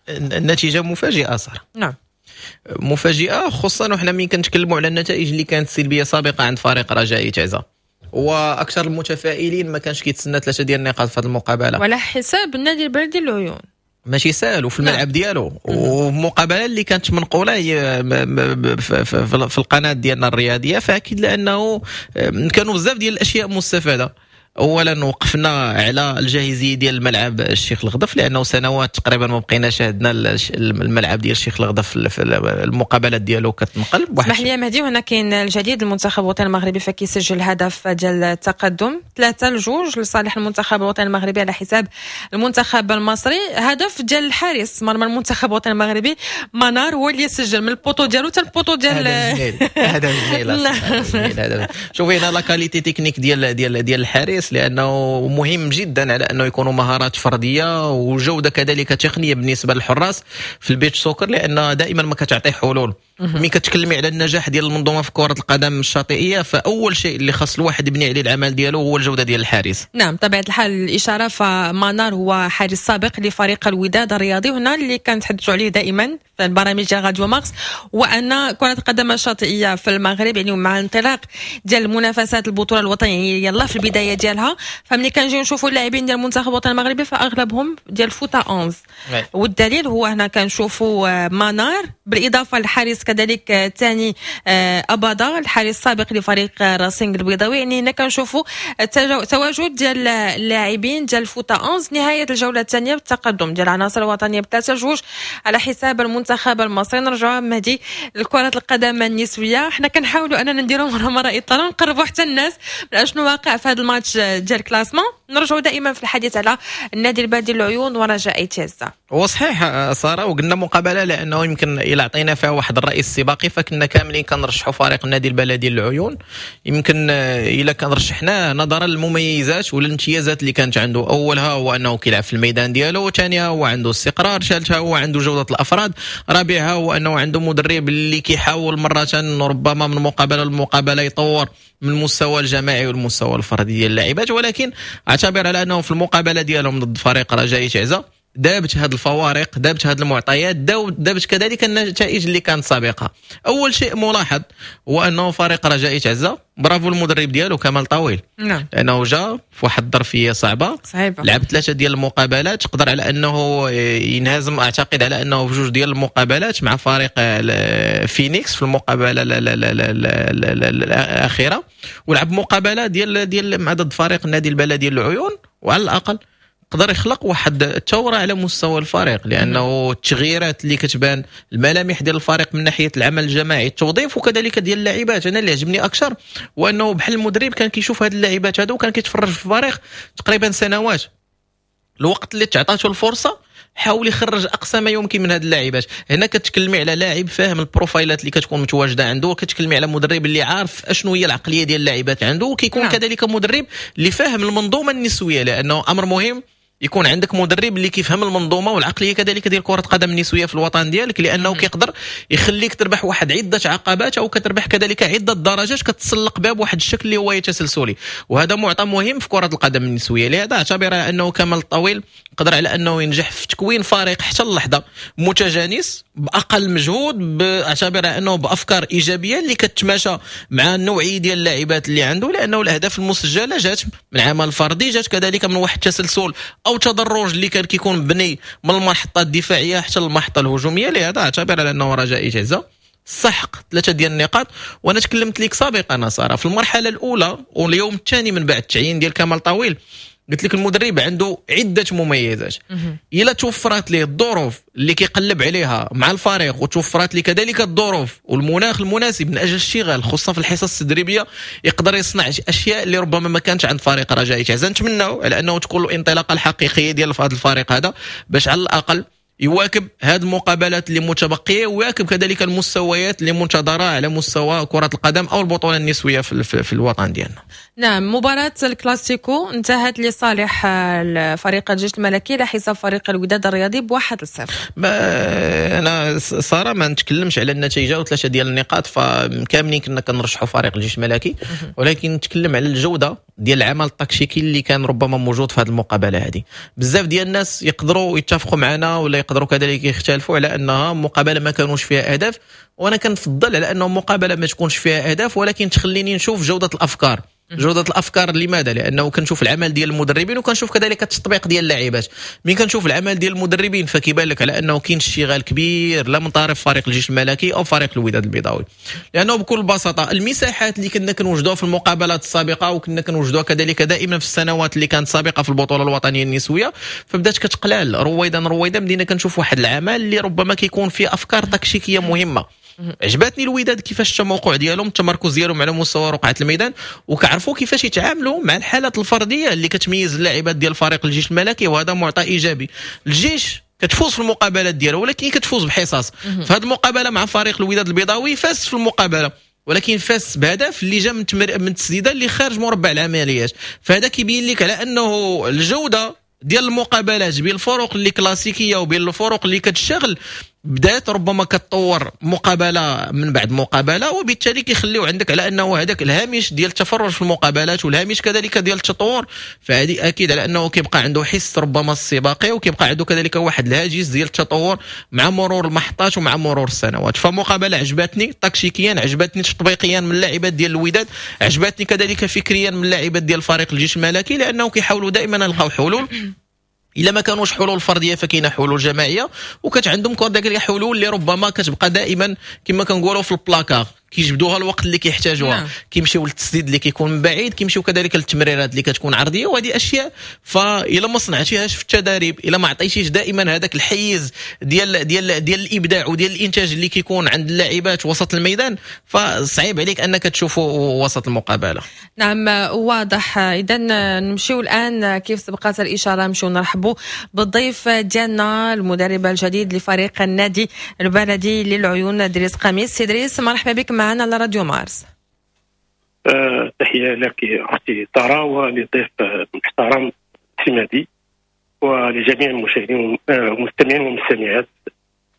النتيجة مفاجئة صراحه. نعم. مفاجئة خصوصا وحنا ملي كنتكلموا على النتائج اللي كانت سلبية سابقه عند فريق رجاء آيت عزة، واكثر المتفائلين ما كانش كيتسنى ثلاثة ديال النقاط في هذه المقابله. وعلى حساب النادي البلدي العيون. ماشي سهل وفي الملعب ديالو، ومقابله اللي كانت منقوله هي في القناة ديالنا الرياضيه، فاكيد لانه كانوا بزاف ديال الاشياء مستفاده. اولا وقفنا على الجاهزيه ديال الملعب الشيخ الغضف، لانه سنوات تقريبا ما بقينا شاهدنا الملعب ديال الشيخ الغضف في المقابلات ديالو كتنقل. اسمح لي مهدي، وهنا كاين الجديد، المنتخب الوطني المغربي فكيسجل هدف ديال التقدم ثلاثة لجوج لصالح المنتخب الوطني المغربي على حساب المنتخب المصري. هدف ديال الحارس مرمى المنتخب الوطني المغربي منار هو اللي سجل من ال poteau ديالو حتى ال poteau ديال هذا جميل، هذا شوفي هنا la qualité technique ديال ديال ديال الحارس، لانه مهم جدا على انه يكونوا مهارات فردية وجوده كذلك تقنية بالنسبة للحراس في ال beach soccer، لان دائما ما كتعطي حلول. ملي كتكلمي على النجاح ديال المنظومة في كره القدم الشاطئيه، فاول شيء اللي خاص الواحد يبني عليه العمل ديالو هو الجودة ديال الحارس. نعم، طبيعة الحال الاشارة، فمنار هو حارس سابق لفريق الوداد الرياضي، وهنا اللي كنتحدثوا عليه دائما في البرامج ديال راديو مارس، وان كره القدم الشاطئيه في المغرب يعني مع انطلاق ديال المنافسات البطولة الوطنية يلا في البداية ديالها، فملي كنجيو نشوفوا اللاعبين ديال المنتخب الوطني المغربي فاغلبهم ديال فوتا أحد عشر، والدليل هو هنا كنشوفوا منار بالاضافة للحارس كذلك الثاني اباضه الحارس السابق لفريق راسينغ البيضاوي. يعني هنا كنشوفوا التواجد ديال اللاعبين ديال فوتا أحد عشر. نهاية الجولة الثانية بالتقدم ديال العناصر الوطنية بثلاثة جوج على حساب المنتخب المصري. نرجعوا مهدي لكرة القدم النسويه، حنا كنحاولوا اننا نديروا مرة مرة اطلاله نقربوا حتى الناس من اشنو واقع في هذا الماتش ديال classement. نرجعوا دائما في الحديث على النادي البلدي العيون ورجاء آيت عزه. هو صحيح ساره، وقلنا مقابله لانه يمكن الى عطينا فيها واحد الراي السباقي فكنا كاملين كنرشحوا فريق النادي البلدي للعيون. يمكن الى كان رشحناه نظرا للمميزات والامتيازات اللي كانت عنده، اولها هو انه كيلعب في الميدان ديالو، وثانيها هو عنده استقرار، ثالثها هو عنده جوده الافراد، رابعها هو انه عنده مدرب اللي كيحاول مرة ربما من مقابله لمقابلة يطور من المستوى الجماعي والمستوى الفردي ديال اللاعبات. ولكن اعتبر على انه في المقابلة ديالهم ضد فريق رجاء تعزه دابت هذه الفوارق، دابت هذه المعطيات، دابت كذلك النتائج اللي كانت سابقه. اول شيء ملاحظ هو انه فريق رجاء تعزه برافو المدرب ديالو كمال طويل، نعم، لانه جا في واحد الظرفية صعبة، صعيبة، لعب ثلاثة ديال المقابلات، قدر على انه ينهزم اعتقد على انه في جوج ديال المقابلات مع فريق فينيكس في المقابلة الاخيرة، ولعب مقابله ديال ديال مع ضد فريق النادي البلدي للعيون، وعلى الاقل قدر يخلق واحد الثورة على مستوى الفريق، لانه التغييرات اللي كتبان الملامح ديال الفريق من ناحية العمل الجماعي، التوظيف، وكذلك ديال اللاعبات. انا اللي عجبني اكثر هو انه بحال المدرب كان كيشوف هاد اللاعبات هادو وكان كيتفرج في الفريق تقريبا سنوات، الوقت اللي تعطاتو الفرصة حاول يخرج اقصى ما يمكن من هاد اللاعبات. هنا كتكلمي على لاعب فاهم البروفايلات اللي كتكون متواجدة عنده، وكتكلمي على مدرب اللي عارف اشنو هي العقلية ديال اللاعبات عنده، وكيكون نعم. كذلك مدرب اللي فاهم المنظومة النسوية، لانه امر مهم يكون عندك مدرب اللي كيفهم المنظومة والعقلية كذلك ديال كره قدم النسوية في الوطن ديالك، لانه كيقدر يخليك تربح واحد عده عقبات او كتربح كذلك عده درجات كتسلق بها بواحد الشكل اللي هو تسلسلي، وهذا معطى مهم في كره القدم النسوية. لهذا اعتبر انه كمال الطويل قدر على انه ينجح في تكوين فريق حتى اللحظة متجانس باقل مجهود، اعتبر انه بافكار ايجابية اللي كتماشى مع النوعية ديال اللاعبات اللي عنده، لانه الاهداف المسجلة جات من عمل فردي، جات كذلك من واحد التسلسل او تدرج اللي كان كيكون مبني من المحطة الدفاعية حتى المحطة الهجومية. لهذا اعتبر على انه رجاء تعزه سحق ثلاثة ديال النقاط. وانا تكلمت لك سابقا ساره في المرحلة الاولى واليوم الثاني من بعد التعيين ديال كمال طويل، قلت لك المدرب عنده عده مميزات، الا توفرت ليه الظروف اللي كيقلب عليها مع الفريق وتوفرت ليه كذلك الظروف والمناخ المناسب من اجل الاشتغال خصوصا في الحصص التدريبية، يقدر يصنع اشياء اللي ربما ما كانتش عند فريق رجاء تعزه. نتمناو على انه تكون الانطلاقة الحقيقية ديال هذا الفريق هذا باش على الاقل يواكب هذه المقابلات اللي متبقيه، ويواكب كذلك المستويات اللي منتظره على مستوى كره القدم او البطولة النسوية في, في, في الوطن ديالنا. نعم، مباراة الكلاسيكو انتهت لصالح فريق الجيش الملكي على حساب فريق الوداد الرياضي بواحد لصفر. انا ساره ما نتكلمش على النتيجة وثلاثة ديال النقاط، فكاملين كنا كنرشحوا فريق الجيش الملكي، ولكن نتكلم على الجودة ديال العمل التكتيكي اللي كان ربما موجود في هذه المقابلة هذه. بزاف ديال الناس يقدروا يتفقوا معنا ولا يقدروا كذلك يختلفوا على انها مقابله ما كانوش فيها اهداف، وانا كنفضل على انه مقابله ما تكونش فيها اهداف ولكن تخليني نشوف جوده الافكار. جوده الافكار لماذا؟ لانه كنشوف العمل ديال المدربين وكنشوف كذلك التطبيق ديال اللاعبات. من كنشوف العمل ديال المدربين فكيبان لك على انه كاين اشتغال كبير لا من طرف فريق الجيش الملكي او فريق الوداد البيضاوي، لانه بكل بساطة المساحات اللي كنا كنوجدوها في المقابلات السابقة وكنا كنوجدوها كذلك دائما في السنوات اللي كانت سابقه في البطولة الوطنية النسوية فبدات كتقلال رويدا رويدا. بدينا كنشوف واحد العمل اللي ربما كيكون فيه افكار تكتيكية مهمة. عجبتني الوداد كيفاش التموقع ديالهم، التمركز ديالهم على مستوى رقعه الميدان، وكعرفوا كيفاش يتعاملوا مع الحالات الفردية اللي كتميز اللاعبات ديال فريق الجيش الملكي، وهذا معطى ايجابي. الجيش كتفوز في المقابلات ديالو ولكن كتفوز بحصص. في هذه المقابلة مع فريق الوداد البيضاوي فاز في المقابلة، ولكن فاز بهدف اللي جا من تمر... من تسديده اللي خارج مربع العمليات. فهذا كيبين لك على انه الجودة ديال المقابلات بين الفرق اللي كلاسيكية وبين الفرق اللي كتشتغل بدات ربما كتطور مقابله من بعد مقابله، وبالتالي كيخليو عندك على انه هذاك الهامش ديال التفرج في المقابلات والهامش كذلك ديال التطور، فهذه اكيد على انه كيبقى عنده حس ربما السباقي، وكيبقى عنده كذلك واحد الهاجس ديال التطور مع مرور المحطات ومع مرور السنوات. فمقابله عجبتني تكتيكيا، عجبتني تطبيقيا من اللاعبات ديال الوداد، عجبتني كذلك فكريا من اللاعبات ديال فريق الجيش الملكي، لانه كيحاولوا دائما يلقاو حلول. الا ما كانوش حلول فردية فكاينه حلول جماعية، وكانت عندهم كذلك حلول اللي ربما كتبقى دائما كما كنقولوا في البلاكار، كيجبدوها الوقت اللي كيحتاجوها. نعم. كيمشيو للتسديد اللي كيكون من بعيد، كيمشيو كذلك للتمريرات اللي كتكون عرضية، وهذه اشياء فإلا ما صنعتيهاش في التدريب، الا ما عطيتيش دائما هذاك الحيز ديال ديال ديال الابداع وديال الانتاج اللي كيكون عند اللاعبات وسط الميدان، فصعيب عليك انك تشوفه وسط المقابلة. نعم واضح. اذا نمشيو الان كيف سبقت الاشارة، نمشيو نرحبوا بالضيف ديالنا المدرب الجديد لفريق النادي البلدي للعيون دريس قميص. سي دريس مرحبا بك معنا على راديو مارس. أه تحية لك أختي تارا وللضيف المحترم سمادي ولجميع المشاهدين والمستمعين والمستمعات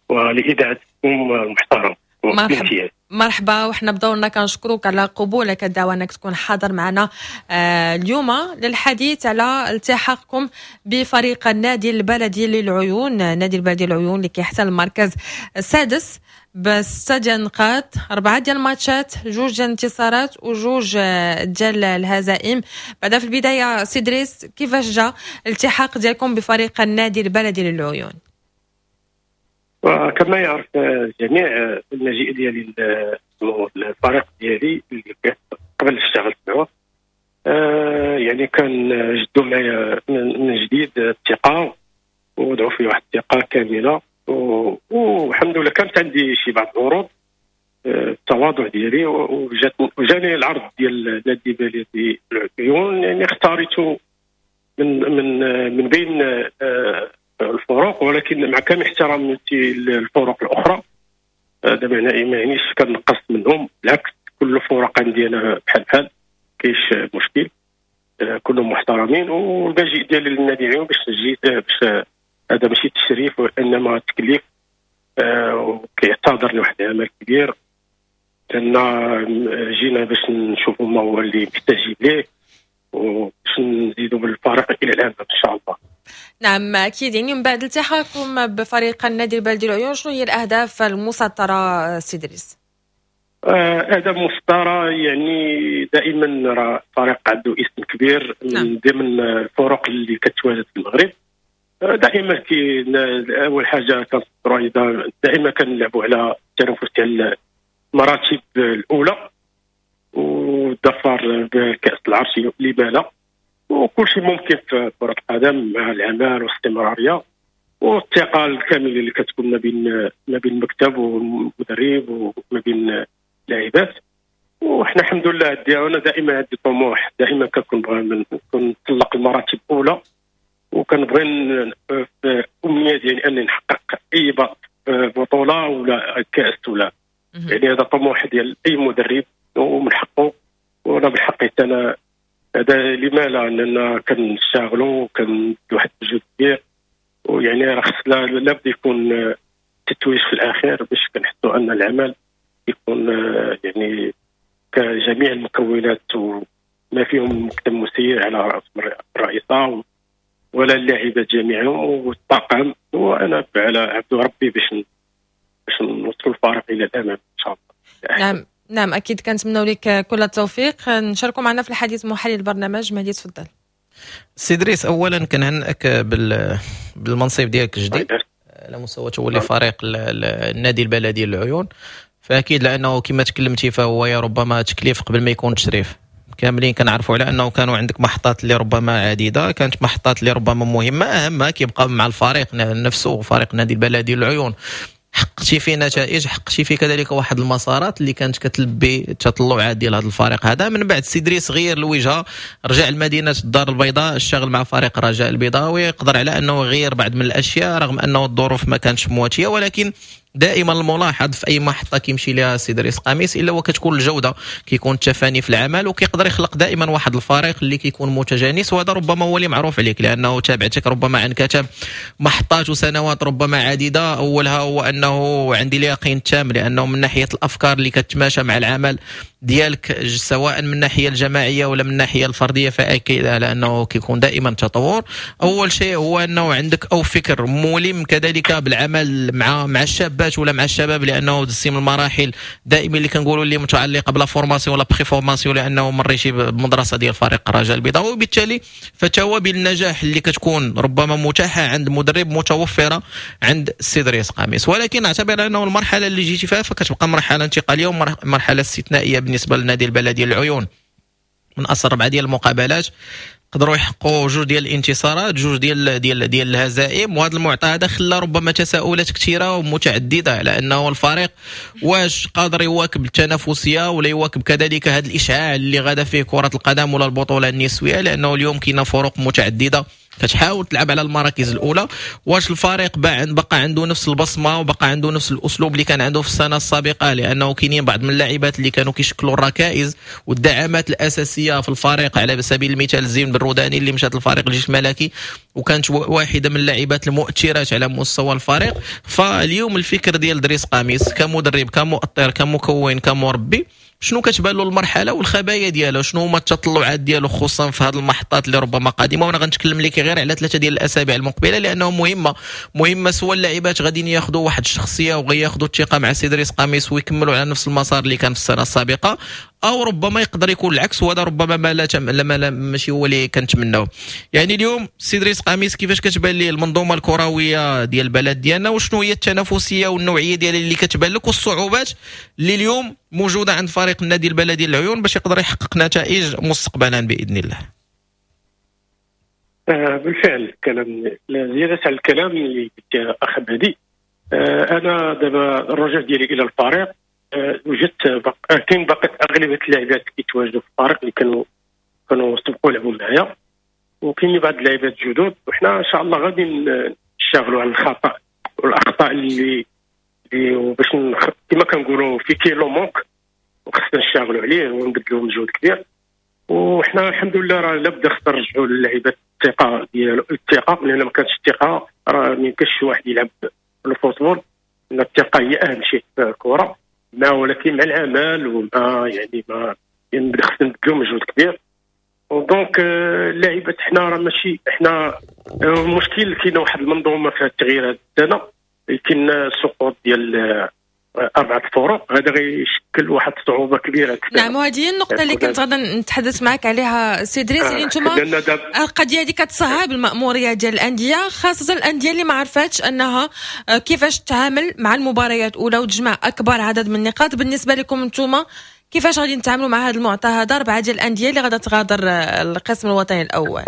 ولإذاعتكم المحترم. مرحبا مرحبا، وحنا بدورنا كنشكروك على قبولك الدعوة انك تكون حاضر معنا اليوم للحديث على التحاقكم بفريق النادي البلدي للعيون، النادي البلدي للعيون اللي كيحتل المركز السادس بستة ديال النقاط، أربعة ديال الماتشات، جوج ديال الانتصارات وجوج ديال الهزائم. بعدا في البداية سي دريس، كيفاش جا الالتحاق ديالكم بفريق النادي البلدي للعيون؟ وكما يعرف الجميع المجيء ديالي الفريق ديالي اللي قبل اشتغلت معه يعني كان جدوا معايا من جديد الثقة ووضعوا في واحد الثقة كاملة، والحمد لله كانت عندي شي بعض العروض التواضع ديالي، وجات وجاني العرض ديال نادي بلدي العيون، يعني اختاريته من من من بين الفرق، ولكن مع كامل احترامي للفرق الاخرى هذا ما يعنيش كنقص منهم، بالعكس كل الفرق عندي انا بحال بحال كاينش مشكل، كلهم محترمين. والمجيء ديالي للنادي العيون باش جيت باش هذا ماشي تشريف وانما تكليف، وكيعتذر لواحد العمل كبير، لان جينا باش نشوفوا ما هو اللي محتاجين ليه وباش نزيدوا بالفريق الى الامام ان شاء الله. نعم اكيد. يعني من بعد التحاقكم بفريق النادي البلدي العيون، شنو هي الاهداف المسطره سي دريس؟ اهداف مسطرة يعني دائما راه فريق عنده اسم كبير من نعم. ضمن الفرق اللي كتواجد في المغرب. دائما كي اول حاجة كنسطروا دائما كنلعبوا على التنافس ديال المراتب الاولى والظفر بكاس العرش لما لا، وكل شيء ممكن في كرة القدم مع العمل والاستمرارية والثقة الكاملة اللي كتكون ما بين ما بين المكتب والمدرب وما بين اللاعبات. وحنا الحمد لله انا دائما عندي طموح، دائما كنكون بغا نطلق المراتب الاولى، وكنبغي في امنية ديالي اني نحقق اي بطوله ولا كاس ولا يعني هذا طموح ديال اي مدرب ومن حقه، وانا من حقي انا هذا لما لا، اننا كنشتغلوا وكنديروا واحد المجهود كبير، ويعني راه خص لابد يكون تتويج في الاخير باش كنحسوا ان العمل يكون يعني كجميع المكونات وما فيهم المكتب المسير على راس الرئيسة ولا اللاعبات جميعا والطاقم، وانا على عبد ربي باش باش نوصل الفريق الى الامام ان شاء الله. نعم نعم اكيد، كنتمنوا لك كل التوفيق. نشاركوا معنا في الحديث محلل البرنامج مهدي، تفضل. سي دريس، اولا كنهنئك بال بالمنصب ديالك الجديد على مستوى تولي فريق النادي البلدي للعيون. فاكيد لانه كما تكلمتي فهو يا ربما تكليف قبل ما يكون تشريف. كاملين كنعرفوا على انه كانوا عندك محطات اللي ربما عديده، كانت محطات اللي ربما مهمه، اهمها كيبقى مع الفريق نفسه، فريق النادي البلدي للعيون. حققتي فيه نتائج، حققتي فيه كذلك واحد المسارات اللي كانت كتلبي التطلعات ديال هذا الفريق هذا. من بعد سي دريس غير الوجهه، رجع لمدينة الدار البيضاء، اشتغل مع فريق رجاء البيضاوي، قدر على انه يغير بعض من الاشياء رغم انه الظروف ما كانتش مواتيه. ولكن دائما الملاحظ في اي محطة كيمشي لها سي دريس قميص الا وكتكون الجوده، كيكون التفاني في العمل، وكيقدر يخلق دائما واحد الفريق اللي كيكون متجانس. وهذا ربما هو اللي معروف عليك، لانه تابعتك ربما عن كتب محطات وسنوات ربما عديده. اولها هو انه عندي اليقين التام لانه من ناحية الافكار اللي كتماشى مع العمل ديالك، سواء من الناحية الجماعية ولا من الناحية الفرديه، فاكيد على انه كيكون دائما تطور. اول شيء هو انه عندك او فكر ملم كذلك بالعمل مع مع الشابات ولا مع الشباب، لانه دزتي من المراحل دائما اللي كنقولوا اللي متعلقه ب la formation ولا préformation، لانه مريتي بمدرسة ديال فريق الرجاء البيضاوي، وبالتالي فتوابل النجاح اللي كتكون ربما متاحة عند مدرب متوفرة عند السي دريس قميص. ولكن اعتبر انه المرحلة اللي جيتي فيها فكتبقى مرحلة انتقالية ومرحلة استثنائية بالنسبة للنادي البلدي للعيون. من اصل ربعه ديال المقابلات قدروا يحققوا جوج ديال الانتصارات، جوج ديال ديال ديال الهزائم، وهذا المعطى هذا خلى ربما تساؤلات كثيرة ومتعددة على انه الفريق واش قادر يواكب التنافسية ولا يواكب كذلك هذا الاشعاع اللي غادا فيه كره القدم ولا البطولة النسوية، لانه اليوم كاينه فروق متعددة كتحاول تلعب على المراكز الاولى. واش الفريق بقى عنده نفس البصمة وبقى عنده نفس الاسلوب اللي كان عنده في السنة السابقه؟ لانه كاينين بعض من اللاعبات اللي كانوا كيشكلوا الركائز والدعامات الاساسية في الفريق، على سبيل المثال زين بالروداني اللي مشات للفريق الجيش الملكي وكانت واحدة من اللاعبات المؤثرات على مستوى الفريق. فاليوم الفكر ديال دريس قميص كمدرب، كمؤطر، كمكون، كمربي، شنو كتبان له المرحلة والخبايا ديالو، شنو هما التطلعات ديالو خصوصا في هذه المحطات اللي ربما قادمه؟ وانا غنتكلم لك غير على ثلاثة ديال الاسابيع المقبلة لانه مهمة مهمه سواء اللاعبات غاديين ياخذوا واحد الشخصية وغياخذوا الثقة مع سي دريس قميص ويكملوا على نفس المسار اللي كان في السنة السابقه، او ربما يقدر يكون العكس، وهذا ربما ما لا تم... ما لا ماشي هو اللي كنتمناو. يعني اليوم سي دريس قميص كيفاش كتبان ليه المنظومة الكروية ديال البلد ديالنا، وشنو هي التنافسية والنوعيه ديال اللي كتبان لك والصعوبات اللي اليوم موجودة عند فريق النادي البلدي للعيون باش يقدر يحقق نتائج مستقبلا باذن الله؟ آه بالفعل الكلام زيادة على الكلام اللي قلت اخ مهدي، آه انا دابا الرجوع ديالي الى الفريق، آه وجدت بق... كاين باقي اغلبية اللاعبات كيتواجدوا في الفريق اللي كانوا كانوا سبقوا لعبوا معايا، وكاين بعض اللاعبات جدد، وحنا ان شاء الله غادي نشتغلوا على الخطا والاخطاء اللي اللي باش نخ... كما كنقولوا في كاين le manque، وخصنا نشتغلوا عليه ونبذلوا مجهود كبير. وحنا الحمد لله راه لابد خصنا نرجعوا للعيبات الثقة ديال الثقة، لان ما كانتش الثقة راه ما يمكنش شي واحد يلعب ال football، لان الثقة هي اهم شيء في الكره. ما ولكن مع العمل ومع يعني ما يعني خصنا نبذلوا مجهود كبير. و donc اللاعبات حنا راه ماشي حنا المشكل كاين واحد المنظومة فيها التغيير هذه السنة، كاين السقوط ديال أربعة فروق، هذا غيشكل واحد الصعوبة كبيرة. نعم، وهذه هي النقطة اللي كنت غادا نتحدث معك عليها سي دريس، اللي انتم القضية هذه كتصعب المأمورية ديال الأندية، خاصة الأندية اللي ما عرفتش أنها كيفاش تتعامل مع المباريات الأولى وتجمع أكبر عدد من النقاط. بالنسبة لكم انتم كيفاش غادي نتعاملوا مع هذا المعطى هذا، أربعة ديال الأندية اللي غادا تغادر القسم الوطني الأول؟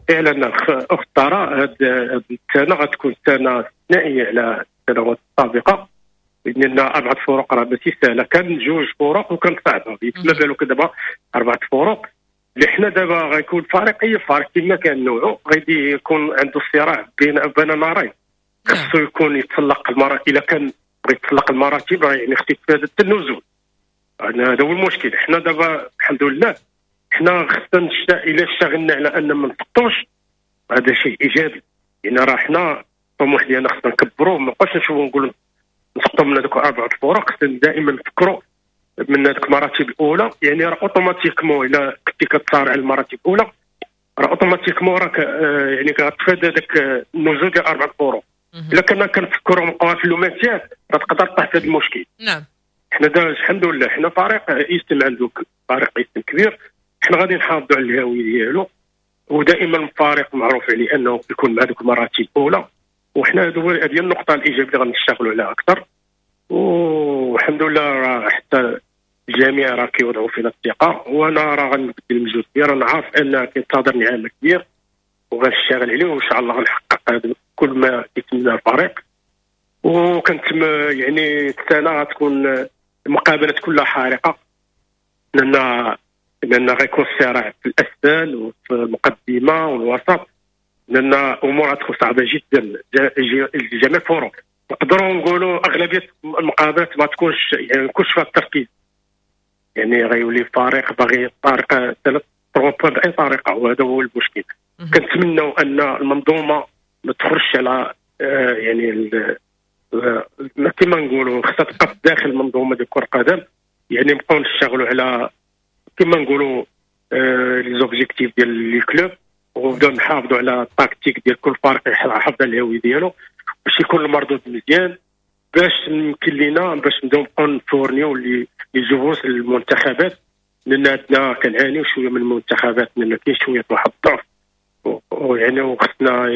فعلا أخت ترى هذه السنة غتكون سنة استثنائية على السنوات السابقة، لان اربعة فروق راه ماشي سهلة، كان جوج فروق وكانت صعبة، ما بالك دابا اربعة فروق اللي حنا دابا غيكون فريق اي فريق كما كان نوعه غادي يكون عنده صراع بين بين نارين، خصو يكون يتسلق المراتب، الا كان بغى يتسلق المراتب راه يعني خصو يتفادى النزول. هذا هو المشكل. حنا دابا الحمد لله حنا خصنا الا اشتغلنا على ان ما نسقطوش، هذا شيء ايجابي، يعني راه حنا الطموح ديالنا خصنا نكبروه، ما نبقاوش نشوفوا نقولوا نسقطوا من هذوك اربعة الفرق، خصنا دائما نفكروا من هذوك المراتب الاولى، يعني راه automatiquement الا كنتي كتصارع على المراتب الاولى راه automatiquement راك يعني كتفادى هذاك النزول ديال اربعة الفرق. الا كنا كنفكروا نبقاو في le maintien راه تقدر تطيح في هذا المشكل. نعم. حنا الحمد لله حنا فريق اسم عنده فريق اسم كبير، حنا غادي نحافظوا على الهوية ديالو، ودائما الفريق معروف عليه انه يكون مع دوك المراتب الاولى، وحنا هذه النقطة الايجابية اللي غنشتغلوا عليها اكثر. والحمد لله راه حتى الجميع راه كيوضعوا فينا الثقة، وانا راه غنبذل المجهود ديالي، انا عارف ان كينتظرني عمل كبير وغنشتغل عليه، وان شاء الله غنحقق كل ما يتمنى الفريق. وكنت يعني السنة غتكون المقابلات كلها حارقه، لان لان غيكون الصراع في الاسفل وفي المقدمة والوسط، لان امور غتكون صعبة جدا جميع الفرق. نقدروا نقولوا اغلبية المقابلات ما تكونش يعني ما يكونش فيها التركيز، يعني غيولي فريق باغي طريقه ثلاث بوان باي طريقه، وهذا هو المشكل. كنتمنوا ان المنظومة ما تخرجش على آه يعني كما نقولوا خصها تبقى داخل المنظومة ديال كره القدم، يعني نبقاو نشتغلوا على كما نقولوا آه les objectifs ديال les clubs، ونبداو نحافظوا على التكتيك ديال كل فريق يحافظ على الهوية ديالو باش يكون المردود مزيان، باش يمكن لينا باش نبداو نبقاو نفورنيو les les joueurs للمنتخبات، لان عندنا كنعانيو شوية من المنتخبات، لان كاين شوية واحد الضعف، ويعني وخصنا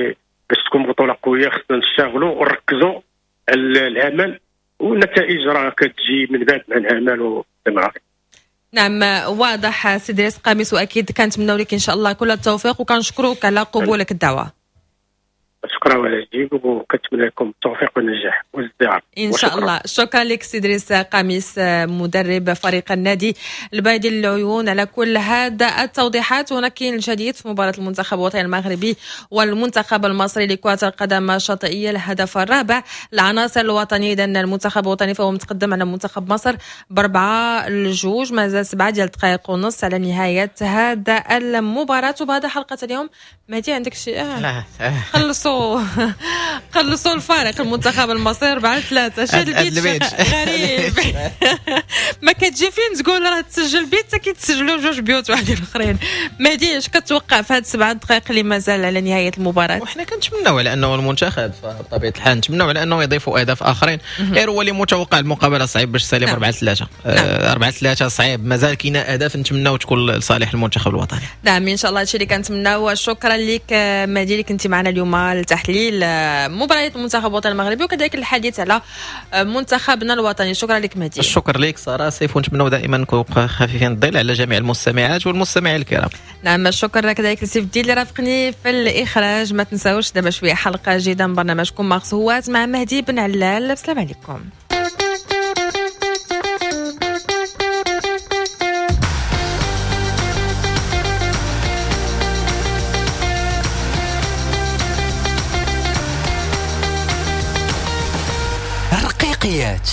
باش تكون بطوله قوية خصنا نشتغلوا ونركزوا على العمل، والنتائج راه كتجي من بعد مع العمل والتمرين. نعم واضح سيدي رئيس قميص، واكيد كنتمناو لك ان شاء الله كل التوفيق، وكنشكروك على قبولك الدعوة. شكرا على الجيب، وكنتمنى لكم التوفيق والنجاح والازدهار ان شاء الله. شكرا لك سيدي رئيس قميص مدرب فريق النادي البيضي للعيون على كل هذا التوضيحات. هنا كاين الجديد في مباراة المنتخب الوطني المغربي والمنتخب المصري لكرة القدم الشاطئيه، الهدف الرابع العناصر الوطنية. اذا المنتخب الوطني فهو متقدم على منتخب مصر باربعة لجوج، مازال سبعة ديال الدقائق ونص على نهاية هذا المباراة. وبهذا حلقة اليوم مهدي عندك شيء؟ لا خلصوا خلصوا الفارق المنتخب المصري أربعة ثلاثة. شاد البيت غريب ما كتجي فين تقول راه تسجل بيت حتى كيتسجلوا جوج بيوت واحدين اخرين. مهدي اش كتوقع في هاد سبعة دقائق اللي مازال على نهاية المباراة؟ وحنا كنتمناو على انه المنتخب بطبيعة الحال نتمناو على انه يضيفوا اهداف اخرين، غير هو اللي متوقع المقابلة صعيب باش تسالي أربعة ثلاثة. أربعة ثلاثة صعيب، مازال كاين اهداف نتمناو تكون لصالح المنتخب الوطني. نعم ان شاء الله هادشي اللي كنتمناو. شكرا لك مهدي اللي كنتي معنا اليوم لتحليل مباريات المنتخب الوطني المغربي وكذلك الحديث على منتخبنا الوطني. شكرا لك مهدي. الشكر لك ساره سيف، ونتمنوا دائما نكونوا خفيفين الظل على جميع المستمعات والمستمعين الكرام. نعم الشكر كذلك لسيف الدين اللي رافقني في الاخراج. ما تنساوش دابا شوية حلقة جديدة من برنامجكم مارس هوات مع مهدي بن علال. السلام عليكم. رقيقيات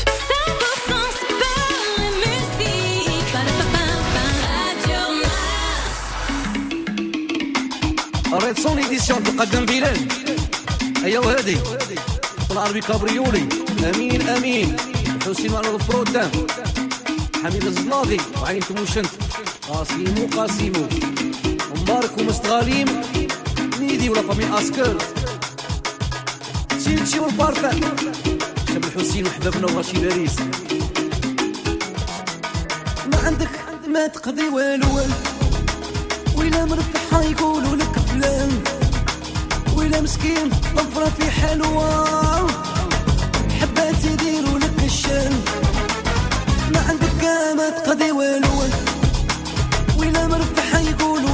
ريتسون édition تقدم بلال هيا وهادي والعربي كابريولي امين امين حسين على البرودان حميد الزناغي وعين تموشنت قاسيمو قاسيمو مبارك ومستغاليم ميدي ولا famille اسكر تشيتشي والبارفان شاب الحسين وحبابنا وراشي باريس. ما عندك ما تقضي والو ويلا مرفحة يقولوا لك فلان ويلا مسكين طفرة في حلوة حبات يديروا لك الشان. ما عندك ما تقضي والو ويلا مرفحة يقولوا